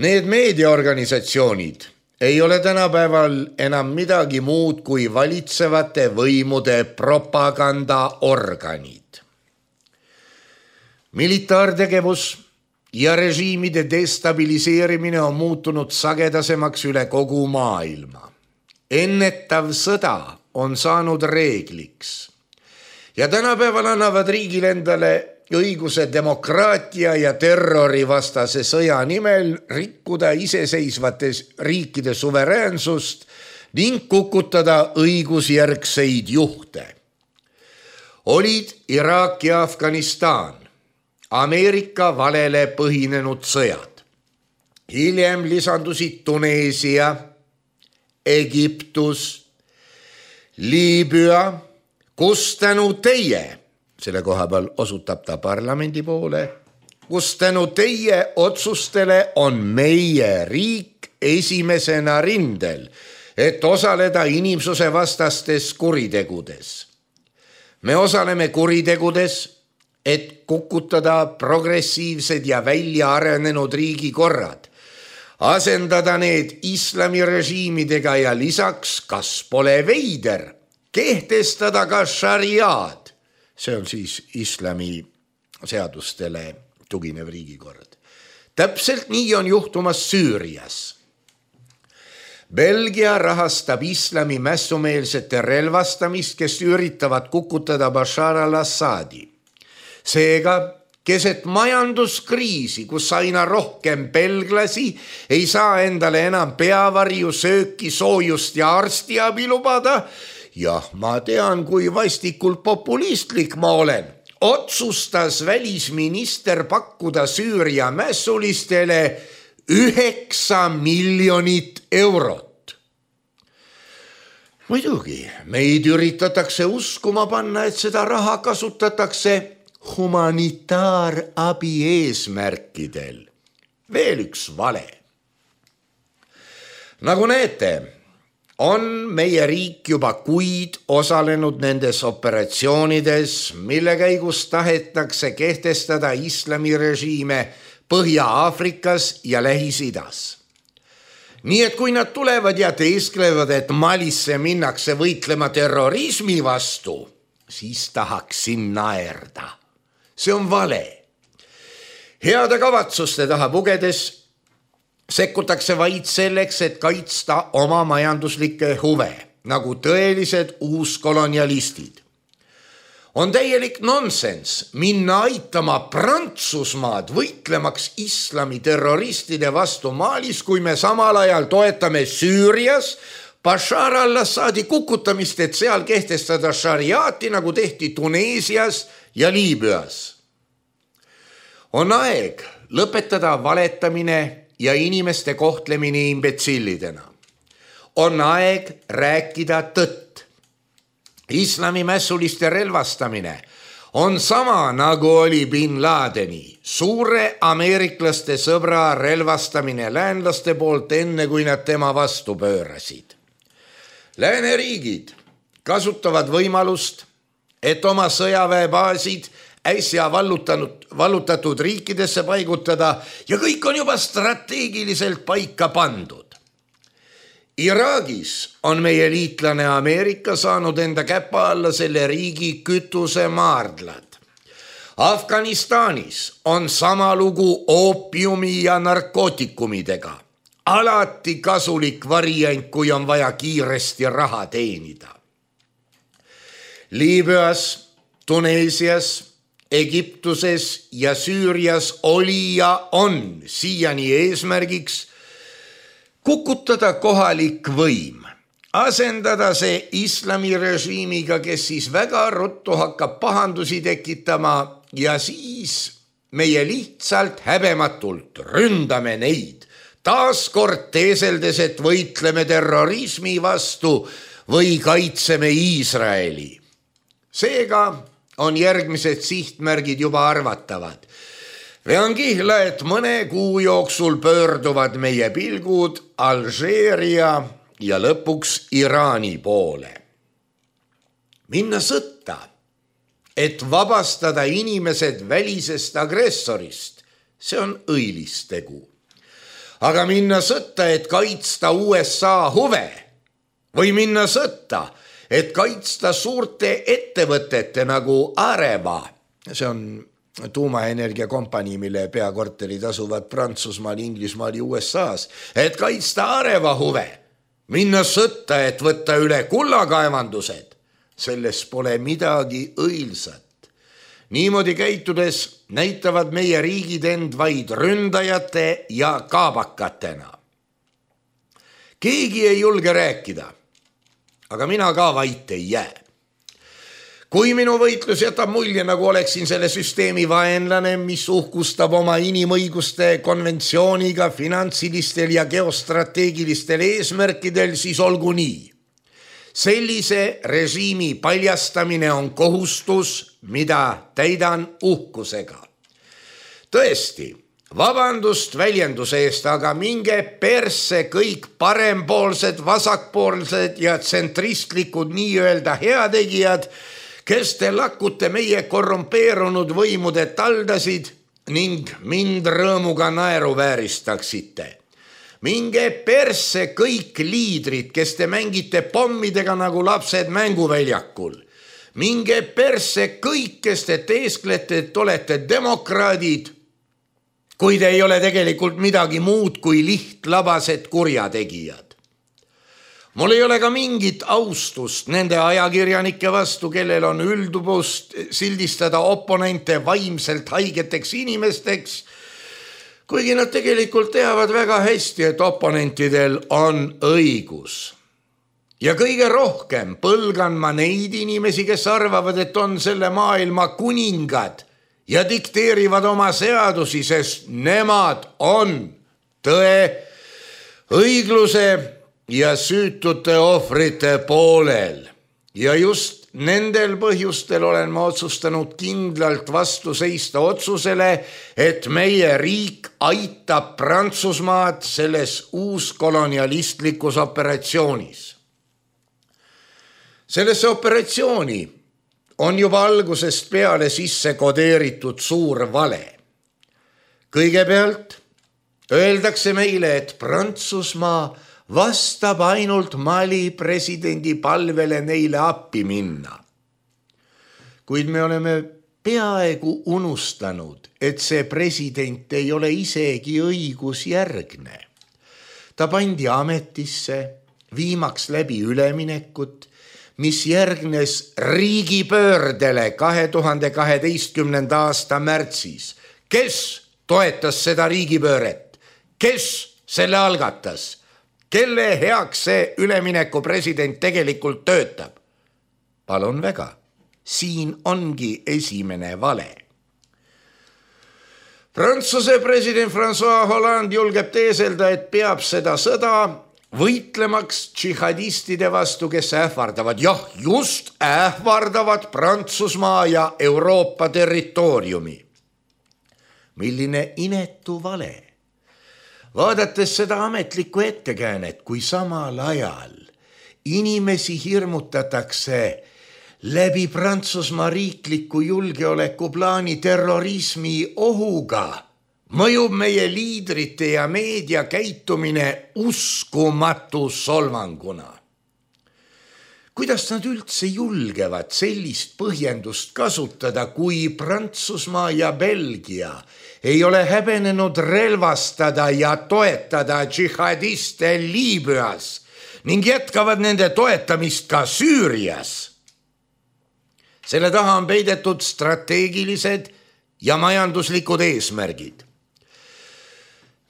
Need meediaorganisatsioonid ei ole tänapäeval enam midagi muud kui valitsevate võimude propagandaorganid. Militaartegevus ja režiimide destabiliseerimine on muutunud sagedasemaks üle kogu maailma. Ennetav sõda on saanud reegliks. Ja tänapäeval annavad riigil endale õiguse demokraatia ja terrorivastase sõja nimel rikkuda iseseisvates riikide suveräänsust ning kukutada õigusjärgseid juhte. Olid Iraak ja Afganistan, Ameerika valele põhinenud sõjad. Hiljem lisandusid Tuneesia, Egiptus, Liibüa, kus tänu teie, selle koha peal osutab ta parlamendi poole, kus tänu teie otsustele on meie riik esimesena rindel, et osaleda inimsuse vastastes kuritegudes. Me osaleme kuritegudes, et kukutada progressiivsed ja välja arenenud riigikorrad, asendada need islamirežiimidega ja lisaks, kas pole veider, kehtestada ka šariaad, see on siis islami seadustele tuginev riigikord. Täpselt nii on juhtumas Süürias. Belgia rahastab islami mässumeelsete relvastamist, kes üritavad kukutada Bashar al-Assadi. Seega, keset majanduskriisi, kus aina rohkem belglasi ei saa endale enam peavarju, sööki, soojust ja arstiabi lubada, ja ma tean, kui vastikult populistlik ma olen, otsustas välisminister pakkuda Süüria mässulistele 9 miljonit eurot. Muidugi, meid üritatakse uskuma panna, et seda raha kasutatakse humanitaarabi eesmärkidel. Veel üks vale. Nagu näete, on meie riik juba kuid osalenud nendes operatsioonides, mille käigus tahetakse kehtestada islamirežiime Põhja-Aafrikas ja Lähis-Idas. Nii et kui nad tulevad ja teesklevad, et Malisse minnakse võitlema terrorismi vastu, siis tahaksin naerda. See on vale. Heade kavatsuste taha pugedes sekkutakse vaid selleks, et kaitsta oma majanduslikke huve, nagu tõelised uuskolonialistid. On täielik nonsenss minna aitama Prantsusmaad võitlemaks islami terroristide vastu Malis, kui me samal ajal toetame Süürias Bashar al-Assadi kukutamist, et seal kehtestada šariaati, nagu tehti Tuneesias ja Liibüas. On aeg lõpetada valetamine ja inimeste kohtlemine imbetsillidena. On aeg rääkida tõtt. Islami mässuliste relvastamine on sama, nagu oli Bin Ladeni, suure ameeriklaste sõbra relvastamine läänlaste poolt, enne kui nad tema vastu pöörasid. Lääneriigid kasutavad võimalust, et oma sõjaväebaasid äsja vallutatud riikidesse paigutada ja kõik on juba strateegiliselt paika pandud. Iraagis on meie liitlane Ameerika saanud enda käpa alla selle riigi kütusemaardlad. Afganistanis on sama lugu oopiumi ja narkootikumidega. Alati kasulik variant, kui on vaja kiiresti raha teenida. Liibüas, Tuneesias, Egiptuses ja Süürias oli ja on siiani eesmärgiks kukutada kohalik võim, asendada see islamirežiimiga, kes siis väga ruttu hakkab pahandusi tekitama ja siis meie lihtsalt häbematult ründame neid, taaskord teeseldes, et võitleme terrorismi vastu või kaitseme Iisraeli. Seega on järgmised sihtmärgid juba arvatavad. Vean kihla, et mõne kuu jooksul pöörduvad meie pilgud Alžeeria ja lõpuks Iraani poole. Minna sõtta, et vabastada inimesed välisest agressorist, see on õilis tegu. Aga minna sõtta, et kaitsta USA huve või minna sõtta, et kaitsta suurte ettevõtete nagu Areva, see on tuumaenergia kompanii, mille peakorterid asuvad Prantsusmaal, Inglismaal ja USAs, et kaitsta Areva huve, minna sõtta, et võtta üle kullakaevandused, selles pole midagi õilsat. Niimoodi käitudes näitavad meie riigid end vaid ründajate ja kaabakatena. Keegi ei julge rääkida, aga mina ka vait ei jää. Kui minu võitlus jätab mulje, nagu oleksin selle süsteemi vaenlane, mis uhkustab oma inimõiguste konventsiooniga finantsilistel ja geostrateegilistel eesmärkidel, siis olgu nii. Sellise režiimi paljastamine on kohustus, mida täidan uhkusega. Tõesti, vabandust väljenduse eest, aga minge persse kõik parempoolsed, vasakpoolsed ja tsentristlikud nii-öelda heategijad, kes te lakute meie korrumpeerunud võimude taldasid ning mind rõõmuga naeruvääristaksite. Minge persse kõik liidrid, kes te mängite pommidega nagu lapsed mänguväljakul. Minge persse kõik, kes te teesklete, et olete demokraadid, kui te ei ole tegelikult midagi muud kui lihtlabased kurjategijad. Mul ei ole ka mingit austust nende ajakirjanike vastu, kellel on üldubust sildistada oponente vaimselt haigeteks inimesteks, kuigi nad tegelikult teavad väga hästi, et oponentidel on õigus. Ja kõige rohkem põlgan ma neid inimesi, kes arvavad, et on selle maailma kuningad ja dikteerivad oma seadusi, sest nemad on tõe, õigluse ja süütute ohvrite poolel. Ja just nendel põhjustel olen ma otsustanud kindlalt vastu seista otsusele, et meie riik aitab Prantsusmaad selles uuskolonialistlikus operatsioonis. Sellesse operatsiooni on juba algusest peale sisse kodeeritud suur vale. Kõigepealt öeldakse meile, et Prantsusmaa vastab ainult Mali presidendi palvele neile appi minna. Kuid me oleme peaaegu unustanud, et see president ei ole isegi õigusjärgne. Ta pandi ametisse, viimaks läbi üleminekut, mis järgnes riigipöördele 2012. aasta märtsis. Kes toetas seda riigipööret? Kes selle algatas? Kelle heaks see ülemineku president tegelikult töötab? Palun väga, siin ongi esimene vale. Prantsuse president François Hollande julgeb teeselda, et peab seda sõda võitlemaks džihadistide vastu, kes ähvardavad, just ähvardavad Prantsusmaa ja Euroopa territooriumi. Milline inetu vale. Vaadates seda ametlikku ettekäänet, kui samal ajal inimesi hirmutatakse läbi Prantsusmaa riikliku julgeolekuplaani terrorismi ohuga, mõjub meie liidrite ja meedia käitumine uskumatu solvanguna. Kuidas nad üldse julgevad sellist põhjendust kasutada, kui Prantsusmaa ja Belgia ei ole häbenenud relvastada ja toetada džihadiste Liibüas ning jätkavad nende toetamist ka Süürias? Selle taha on peidetud strateegilised ja majanduslikud eesmärgid.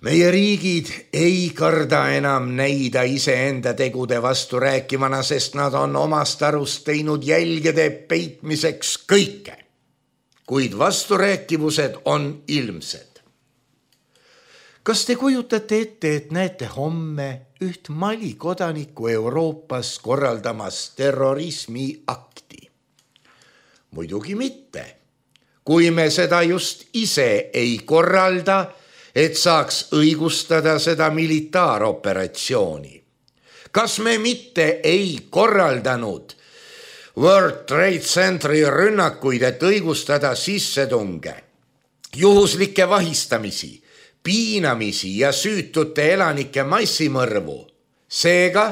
Meie riigid ei karda enam näida iseenda tegude vastu rääkimana, sest nad on omast arust teinud jälgede peitmiseks kõike. Kuid vasturääkivused on ilmsed. Kas te kujutate ette, et näete homme üht Mali kodanikku Euroopas korraldamas terrorismi akti? Muidugi mitte. Kui me seda just ise ei korralda, et saaks õigustada seda militaaroperatsiooni. Kas me mitte ei korraldanud World Trade Centeri rünnakuid, et õigustada sissetunge, juhuslikke vahistamisi, piinamisi ja süütute elanike massimõrvu? Seega,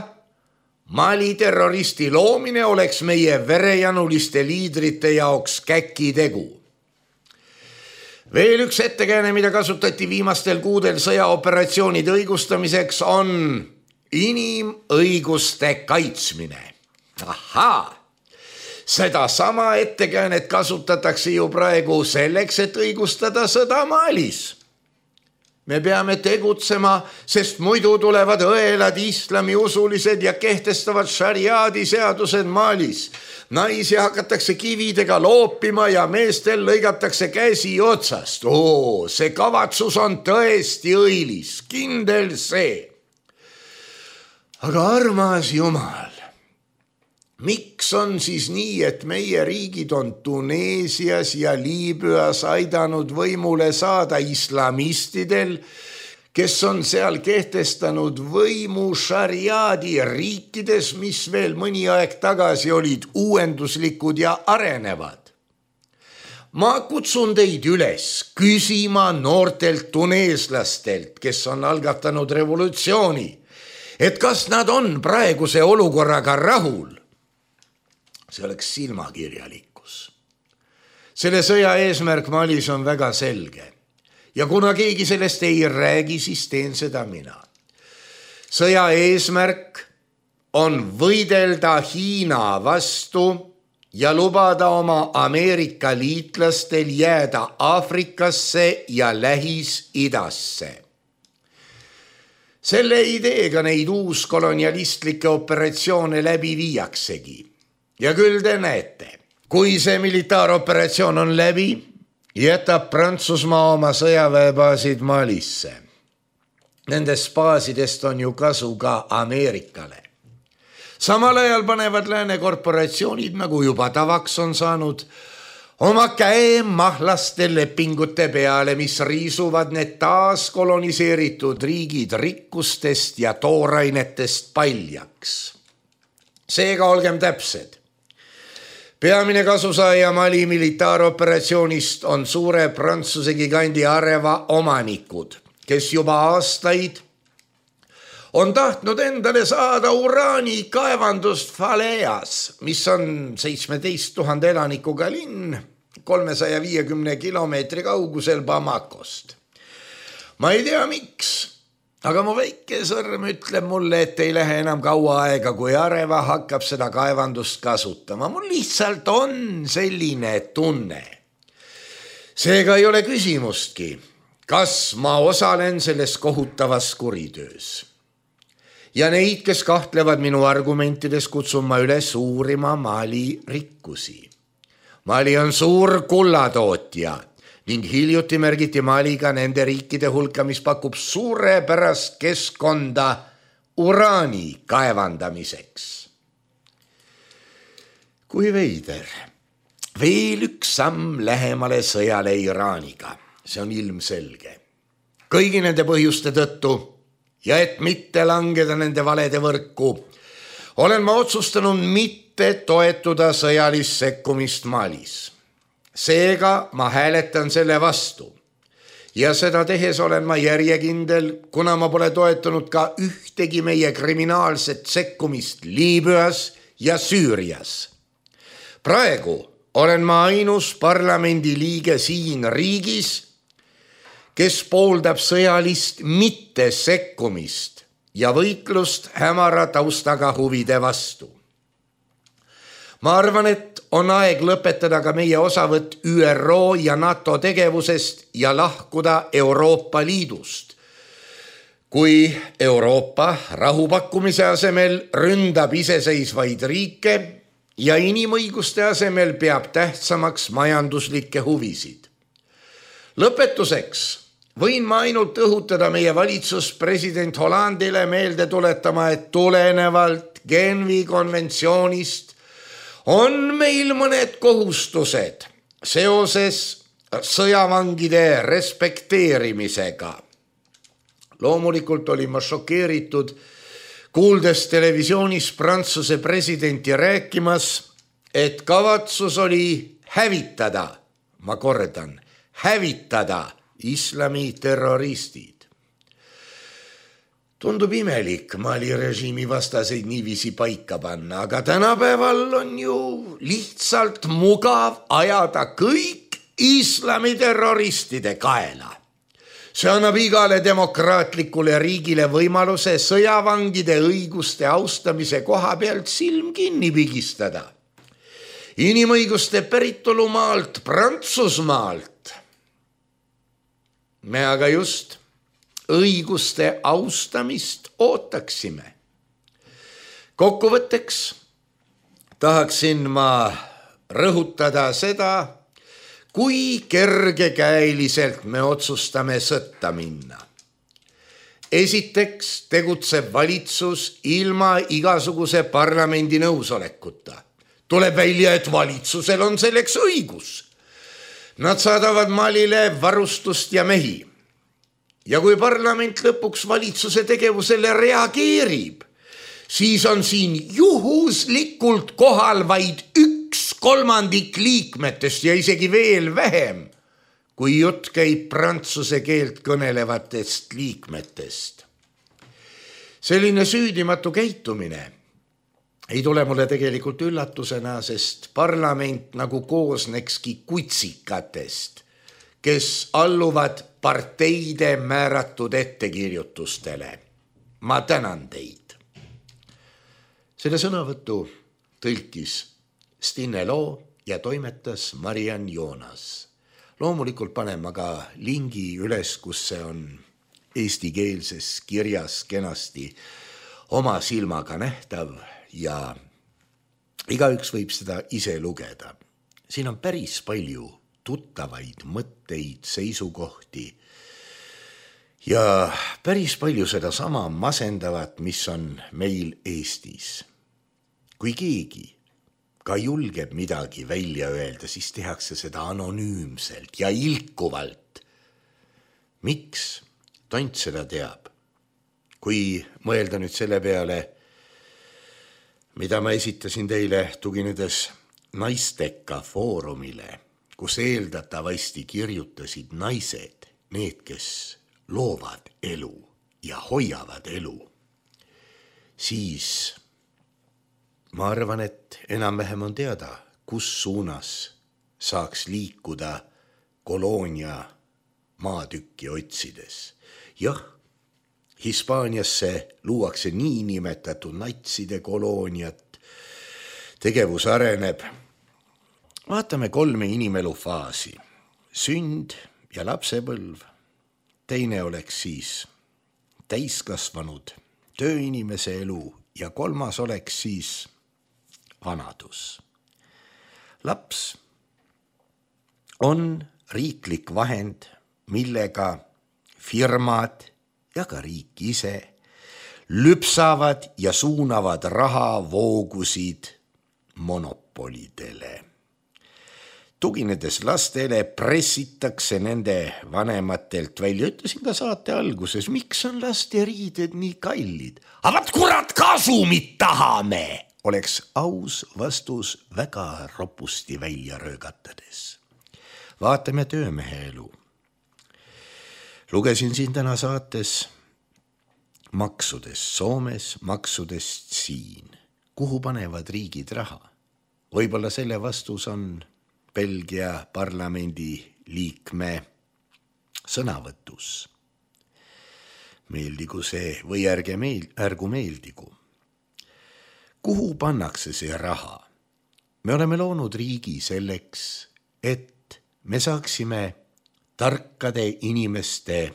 Mali terroristi loomine oleks meie verejanuliste liidrite jaoks käkitegu. Veel üks ettekääne, mida kasutati viimastel kuudel sõjaoperatsioonide õigustamiseks, on inimõiguste kaitsmine. Ahaa, seda sama ettekäänet kasutatakse ju praegu selleks, et õigustada sõda Malis. Me peame tegutsema, sest muidu tulevad õelad islamiusulised ja kehtestavad šariaadi seadused Malis. Naisi hakatakse kividega loopima ja meestel lõigatakse käsi otsast. See kavatsus on tõesti õilis, kindel see. Aga armas Jumal, miks on siis nii, et meie riigid on Tuneesias ja Liibüas aidanud võimule saada islamistidel, kes on seal kehtestanud võimu šariaadi riikides, mis veel mõni aeg tagasi olid uuenduslikud ja arenevad? Ma kutsun teid üles küsima noortelt tuneeslastelt, kes on algatanud revolutsiooni, et kas nad on praeguse olukorraga rahul. See oleks silmakirjalikkus. Selle sõja eesmärk Malis on väga selge. Ja kuna keegi sellest ei räägi, siis teen seda mina. Sõja eesmärk on võidelda Hiina vastu ja lubada oma Ameerika liitlastel jääda Aafrikasse ja Lähis-Idasse. Selle ideega neid uuskolonialistlikke operatsioone läbi viiaksegi. Ja küll te näete, kui see militaaroperatsioon on läbi, jätab Prantsusmaa oma sõjaväebaasid Malisse. nendest baasidest on ju kasu ka Ameerikale. Samal ajal panevad lääne korporatsioonid, nagu juba tavaks on saanud, oma käe mahlaste lepingute peale, mis riisuvad need taas koloniseeritud riigid rikkustest ja toorainetest paljaks. Seega olgem täpsed. Peamine kasusaaja Mali militaaroperatsioonist on suure Prantsuse gigandi Areva omanikud, kes juba aastaid on tahtnud endale saada uraani kaevandust Faleas, mis on 17 000 elanikuga linn 350 kilomeetri kaugusel Bamakost. Ma ei tea miks, aga mu väike sõrm ütleb mulle, et ei lähe enam kaua aega, kui Areva hakkab seda kaevandust kasutama. Mul lihtsalt on selline tunne. Seega ei ole küsimustki, kas ma osalen selles kohutavas kuritöös. Ja neid, kes kahtlevad minu argumentides, kutsun ma üles uurima Mali rikkusi. Mali on suur kullatootja ning hiljuti märgiti Maliga nende riikide hulka, mis pakub suurepärast keskkonda uraani kaevandamiseks. Kui veider. Veel üks samm lähemale sõjale Iraaniga. See on ilmselge. Kõigi nende põhjuste tõttu ja et mitte langeda nende valede võrku, olen ma otsustanud mitte toetuda sõjalist sekkumist Malis. Seega ma hääletan selle vastu. Ja seda tehes olen ma järjekindel, kuna ma pole toetanud ka ühtegi meie kriminaalset sekkumist Liibüas ja Süürias. Praegu olen ma ainus parlamendi liige siin riigis, kes pooldab sõjalist mitte sekkumist ja võitlust hämara taustaga huvide vastu. Ma arvan, et on aeg lõpetada ka meie osavõtt ÜRO ja NATO tegevusest ja lahkuda Euroopa Liidust. Kui Euroopa rahupakkumise asemel ründab iseseisvaid riike ja inimõiguste asemel peab tähtsamaks majanduslikke huvisid. Lõpetuseks võin ma ainult õhutada meie valitsus president Hollandile meelde tuletama, et tulenevalt Genfi konventsioonist on meil mõned kohustused seoses sõjavangide respekteerimisega. Loomulikult olin ma šokeeritud, kuuldes televisioonis Prantsuse presidenti rääkimas, et kavatsus oli hävitada, ma kordan, hävitada islami terroristid. Tundub imelik Mali režiimi vastaseid niiviisi paika panna, aga tänapäeval on ju lihtsalt mugav ajada kõik islami terroristide kaela. See annab igale demokraatlikule riigile võimaluse sõjavangide õiguste austamise koha pealt silm kinni pigistada. Inimõiguste päritolumaalt Prantsusmaalt me aga just õiguste austamist ootaksime. Kokkuvõtteks tahaksin ma rõhutada seda, kui kergekäeliselt me otsustame sõtta minna. Esiteks tegutseb valitsus ilma igasuguse parlamendi nõusolekuta. Tuleb välja, et valitsusel on selleks õigus. Nad saadavad Malile varustust ja mehi. Ja kui parlament lõpuks valitsuse tegevusele reageerib, siis on siin juhuslikult kohal vaid 1/3 liikmetest ja isegi veel vähem, kui jutt käib prantsuse keelt kõnelevatest liikmetest. Selline süüdimatu käitumine ei tule mulle tegelikult üllatusena, sest parlament nagu koosnekski kutsikatest, kes alluvad parteide määratud ettekirjutustele. Ma tänan teid. Selle sõnavõttu tõlkis Stine Loo ja toimetas Mariann Joonas. Loomulikult panen ma ka lingi üles, kus see on eestikeelses kirjas kenasti oma silmaga nähtav ja igaüks võib seda ise lugeda. Siin on päris palju tuttavaid mõtteid, seisukohti Ja päris palju seda sama masendavat, mis on meil Eestis. Kui keegi ka julgeb midagi välja öelda, siis tehakse seda anonüümselt ja ilkuvalt. Miks? Tont seda teab. Kui mõelda nüüd selle peale, mida ma esitasin teile tuginedes Naisteka foorumile, kus eeldatavasti kirjutasid naised, need, kes loovad elu ja hoiavad elu, siis ma arvan, et enam-vähem on teada, kus suunas saaks liikuda koloonia maatükki otsides. Jah, Hispaaniasse luuakse niinimetatud natside kolooniat, tegevus areneb. Vaatame 3 inimelu faasi. Sünd ja lapsepõlv. Teine oleks siis täiskasvanud tööinimese elu ja 3. oleks siis vanadus. Laps on riiklik vahend, millega firmad ja ka riik ise lüpsavad ja suunavad rahavoogusid monopolidele. Tuginedes lastele pressitakse nende vanematelt välja. Ütlesin ka saate alguses, miks on laste riided nii kallid? Aga kurat, kasumit tahame! Oleks aus vastus väga ropusti välja röögatades. Vaatame töömehe elu. Lugesin siin täna saates maksudest Soomes, maksudest siin. Kuhu panevad riigid raha? Võib-olla selle vastus on Belgia parlamendi liikme sõnavõtus. Meeldigu see või ärgu meeldigu. Kuhu pannakse see raha? Me oleme loonud riigi selleks, et me saaksime tarkade inimeste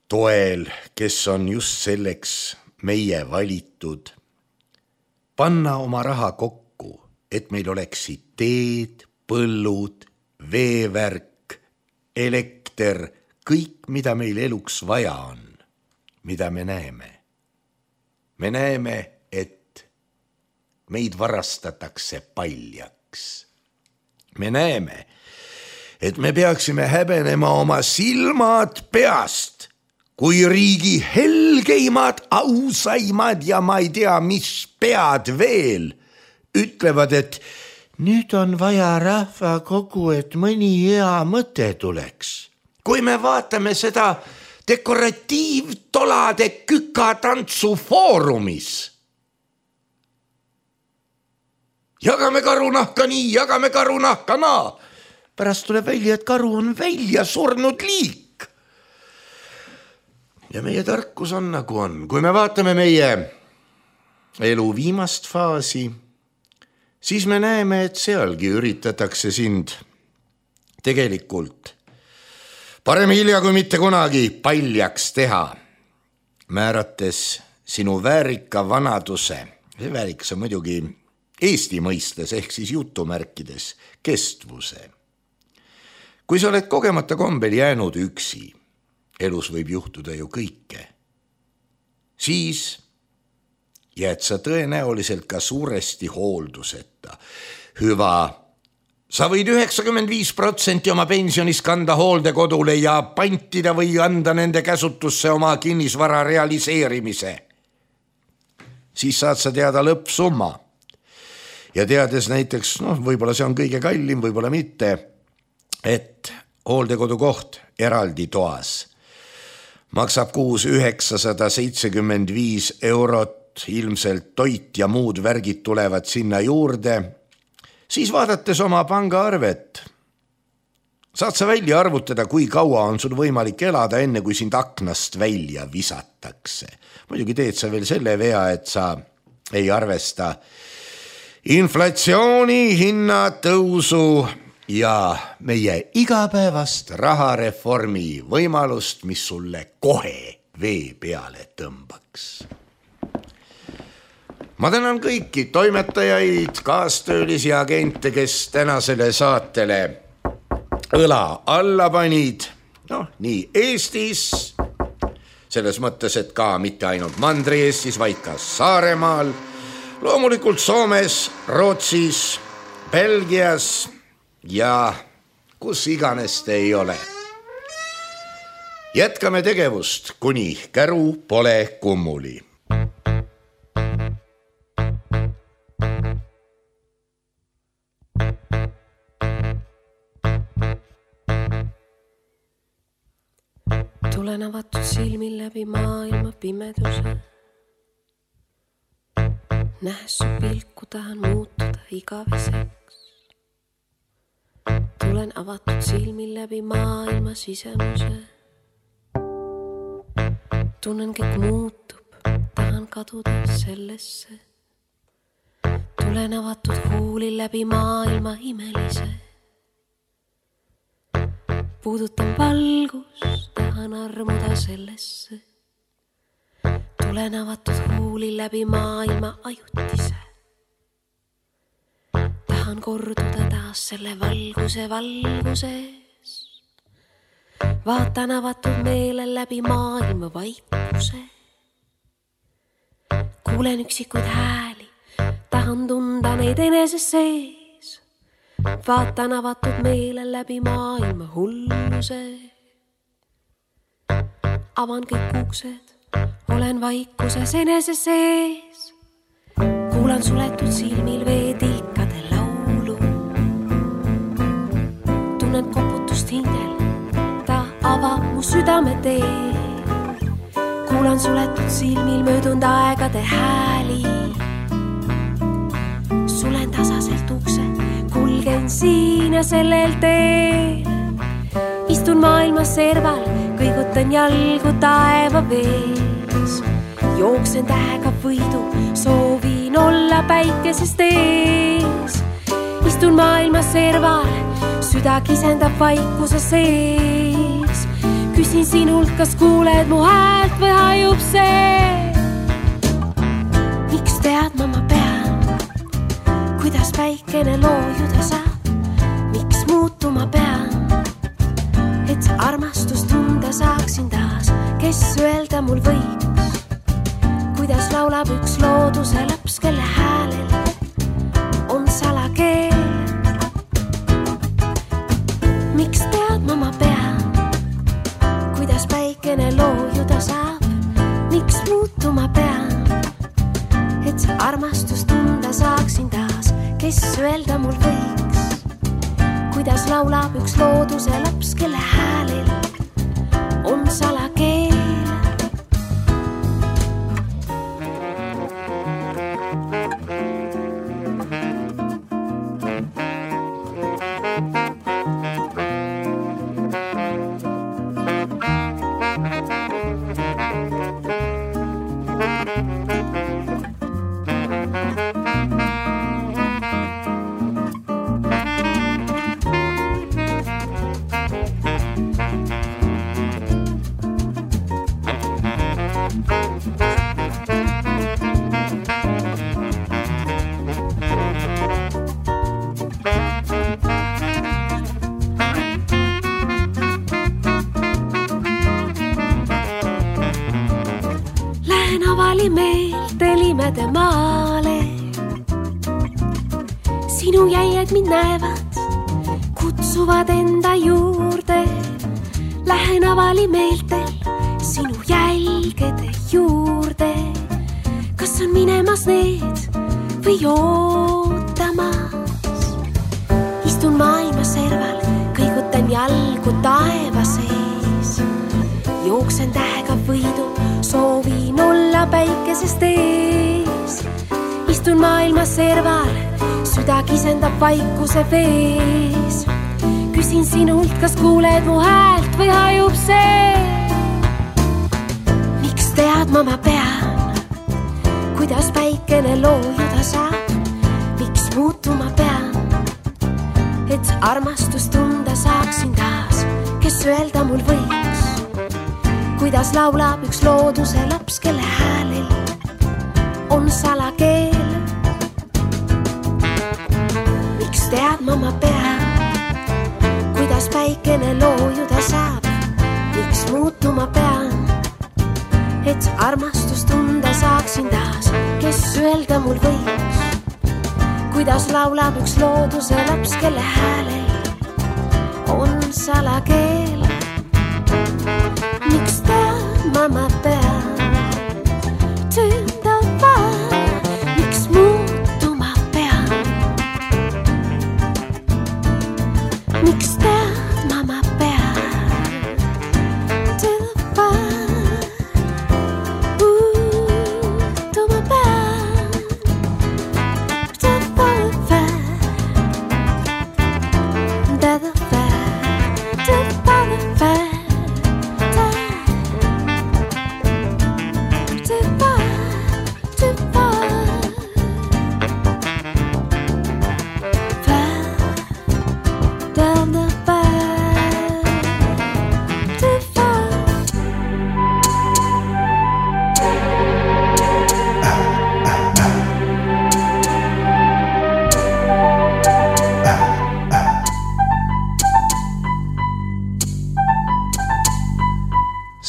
toel, kes on just selleks meie valitud, panna oma raha kokku, et meil oleksid teed, põllud, veevärk, elekter, kõik, mida meil eluks vaja on, mida me näeme. Me näeme, et meid varastatakse paljaks. Me näeme, et me peaksime häbenema oma silmad peast, kui riigi helgeimad, ausaimad ja ma ei tea, mis pead veel ütlevad, et nüüd on vaja rahvakogu, et mõni hea mõte tuleks. Kui me vaatame seda dekoratiivtolade kükatantsu foorumis, jagame karunahka nii, jagame karunahka naa. Pärast tuleb välja, et karu on välja surnud liik. Ja meie tarkus on nagu on. Kui me vaatame meie elu viimast faasi, siis me näeme, et sealgi üritatakse sind tegelikult parem hilja kui mitte kunagi paljaks teha, määrates sinu väärika vanaduse. See väärikas on muidugi Eesti mõistes ehk siis jutumärkides kestvuse. Kui sa oled kogemata kombel jäänud üksi, elus võib juhtuda ju kõike, siis jääd sa tõenäoliselt ka suuresti hoolduseta. Hüva, sa võid 95% oma pensionis kanda hooldekodule ja pantida või anda nende käsutusse oma kinnisvara realiseerimise. Siis saad sa teada lõppsumma. Ja teades näiteks, võib-olla see on kõige kallim, võib-olla mitte, et hooldekodu koht eraldi toas maksab kuus 975 €, ilmselt toit ja muud värgid tulevad sinna juurde, siis vaadates oma pangaarvet, saad sa välja arvutada, kui kaua on sul võimalik elada, enne kui sind aknast välja visatakse. Muidugi teed sa veel selle vea, et sa ei arvesta inflatsiooni, hinnatõusu ja meie igapäevast rahareformi võimalust, mis sulle kohe vee peale tõmbaks. Ma tänan kõiki toimetajaid, kaastöölisi ja agente, kes tänasele saatele õla alla panid nii Eestis, selles mõttes, et ka mitte ainult Mandri-Eestis, vaid ka Saaremaal, loomulikult Soomes, Rootsis, Belgias ja kus iganes te ei ole. Jätkame tegevust, kuni käru pole kummuli. Tulen avatud silmil läbi maailma pimeduse. Nähes su pilku tahan muutuda igaveseks. Tulen avatud silmil läbi maailma sisemuse. Tunnen kõik muutub, tahan kaduda sellesse. Tulen avatud huulil läbi maailma imelise. Puudutan valgust, tahan armuda sellesse. Tulen avatud huulil läbi maailma ajutise. Tahan korduda taas selle valguse valguses. Vaatan avatud meelel läbi maailma vaikuse. Kuulen üksikuid hääli, tahan tunda neid eneses sees. Vaatan avatud meelel läbi maailma hulluse. Avan kõik uksed, olen vaikuses eneses sees. Kuulan suletud silmil veetilkade laulu. Tunnen koputust hingel, avab mu südame tee. Kuulan suletud silmil möödunud aegade hääli. Sulen tasaselt ukse, kulgen siin ja sellel teel. Istun maailma serval, kõigutan jalgu taeva vees. Jooksen tähega võidu, soovin olla päikesest ees. Istun maailma serval, süda kisendab vaikuse sees. Küsin sinult, kas kuuled mu häält või hajub see? Miks tead ma pean, kuidas päikene loojuda saab? Miks muutuma pean, et see armastus tunda saaksin taas? Kes öelda mul võiks, kuidas laulab üks looduse laps, kelle häälel on salakeel? Miks tead ma pean, kuidas päikene loojuda saab? Miks muutuma pean, et see armastus tunda saaksin taas? Kes öelda mul võiks, kuidas laulab üks looduse laps, kelle häälel on salakeel? Meelte maale. Sinu jäied mind näevad, kutsuvad enda juurde. Lähen avali meeltel sinu jälgede juurde. Kas on minemas need või ootamas? Istun maailma serval, kõigutan jalgu taeva sees. Jooksen tähega võidu, soovin olla päikesest ees. Istun maailma serval, süda kisendab vaikuse vees. Küsin sinult, kas kuuled mu häält või hajub see? Miks tead ma pean, kuidas päikene loojuda saab? Miks muutuma pean, et armastus tunda saaksin taas? Kes öelda mul võiks, kuidas laulab üks looduse laps, kelle häälel on salakeel? Miks tead ma pean, kuidas päikene loojuda saab? miks muutuma pean, et armastust tunda saaksin taas. Kes öelda mul võiks, kuidas laulab üks looduse laps, kelle häälel on salakeel. Miks teadma ma pean, tundava, miks muutuma pean, miks teadma ma pean, tundava, muutuma pean, tundava, tundava, tundava.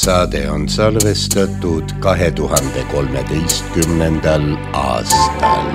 Saade on salvestatud 2013. aastal.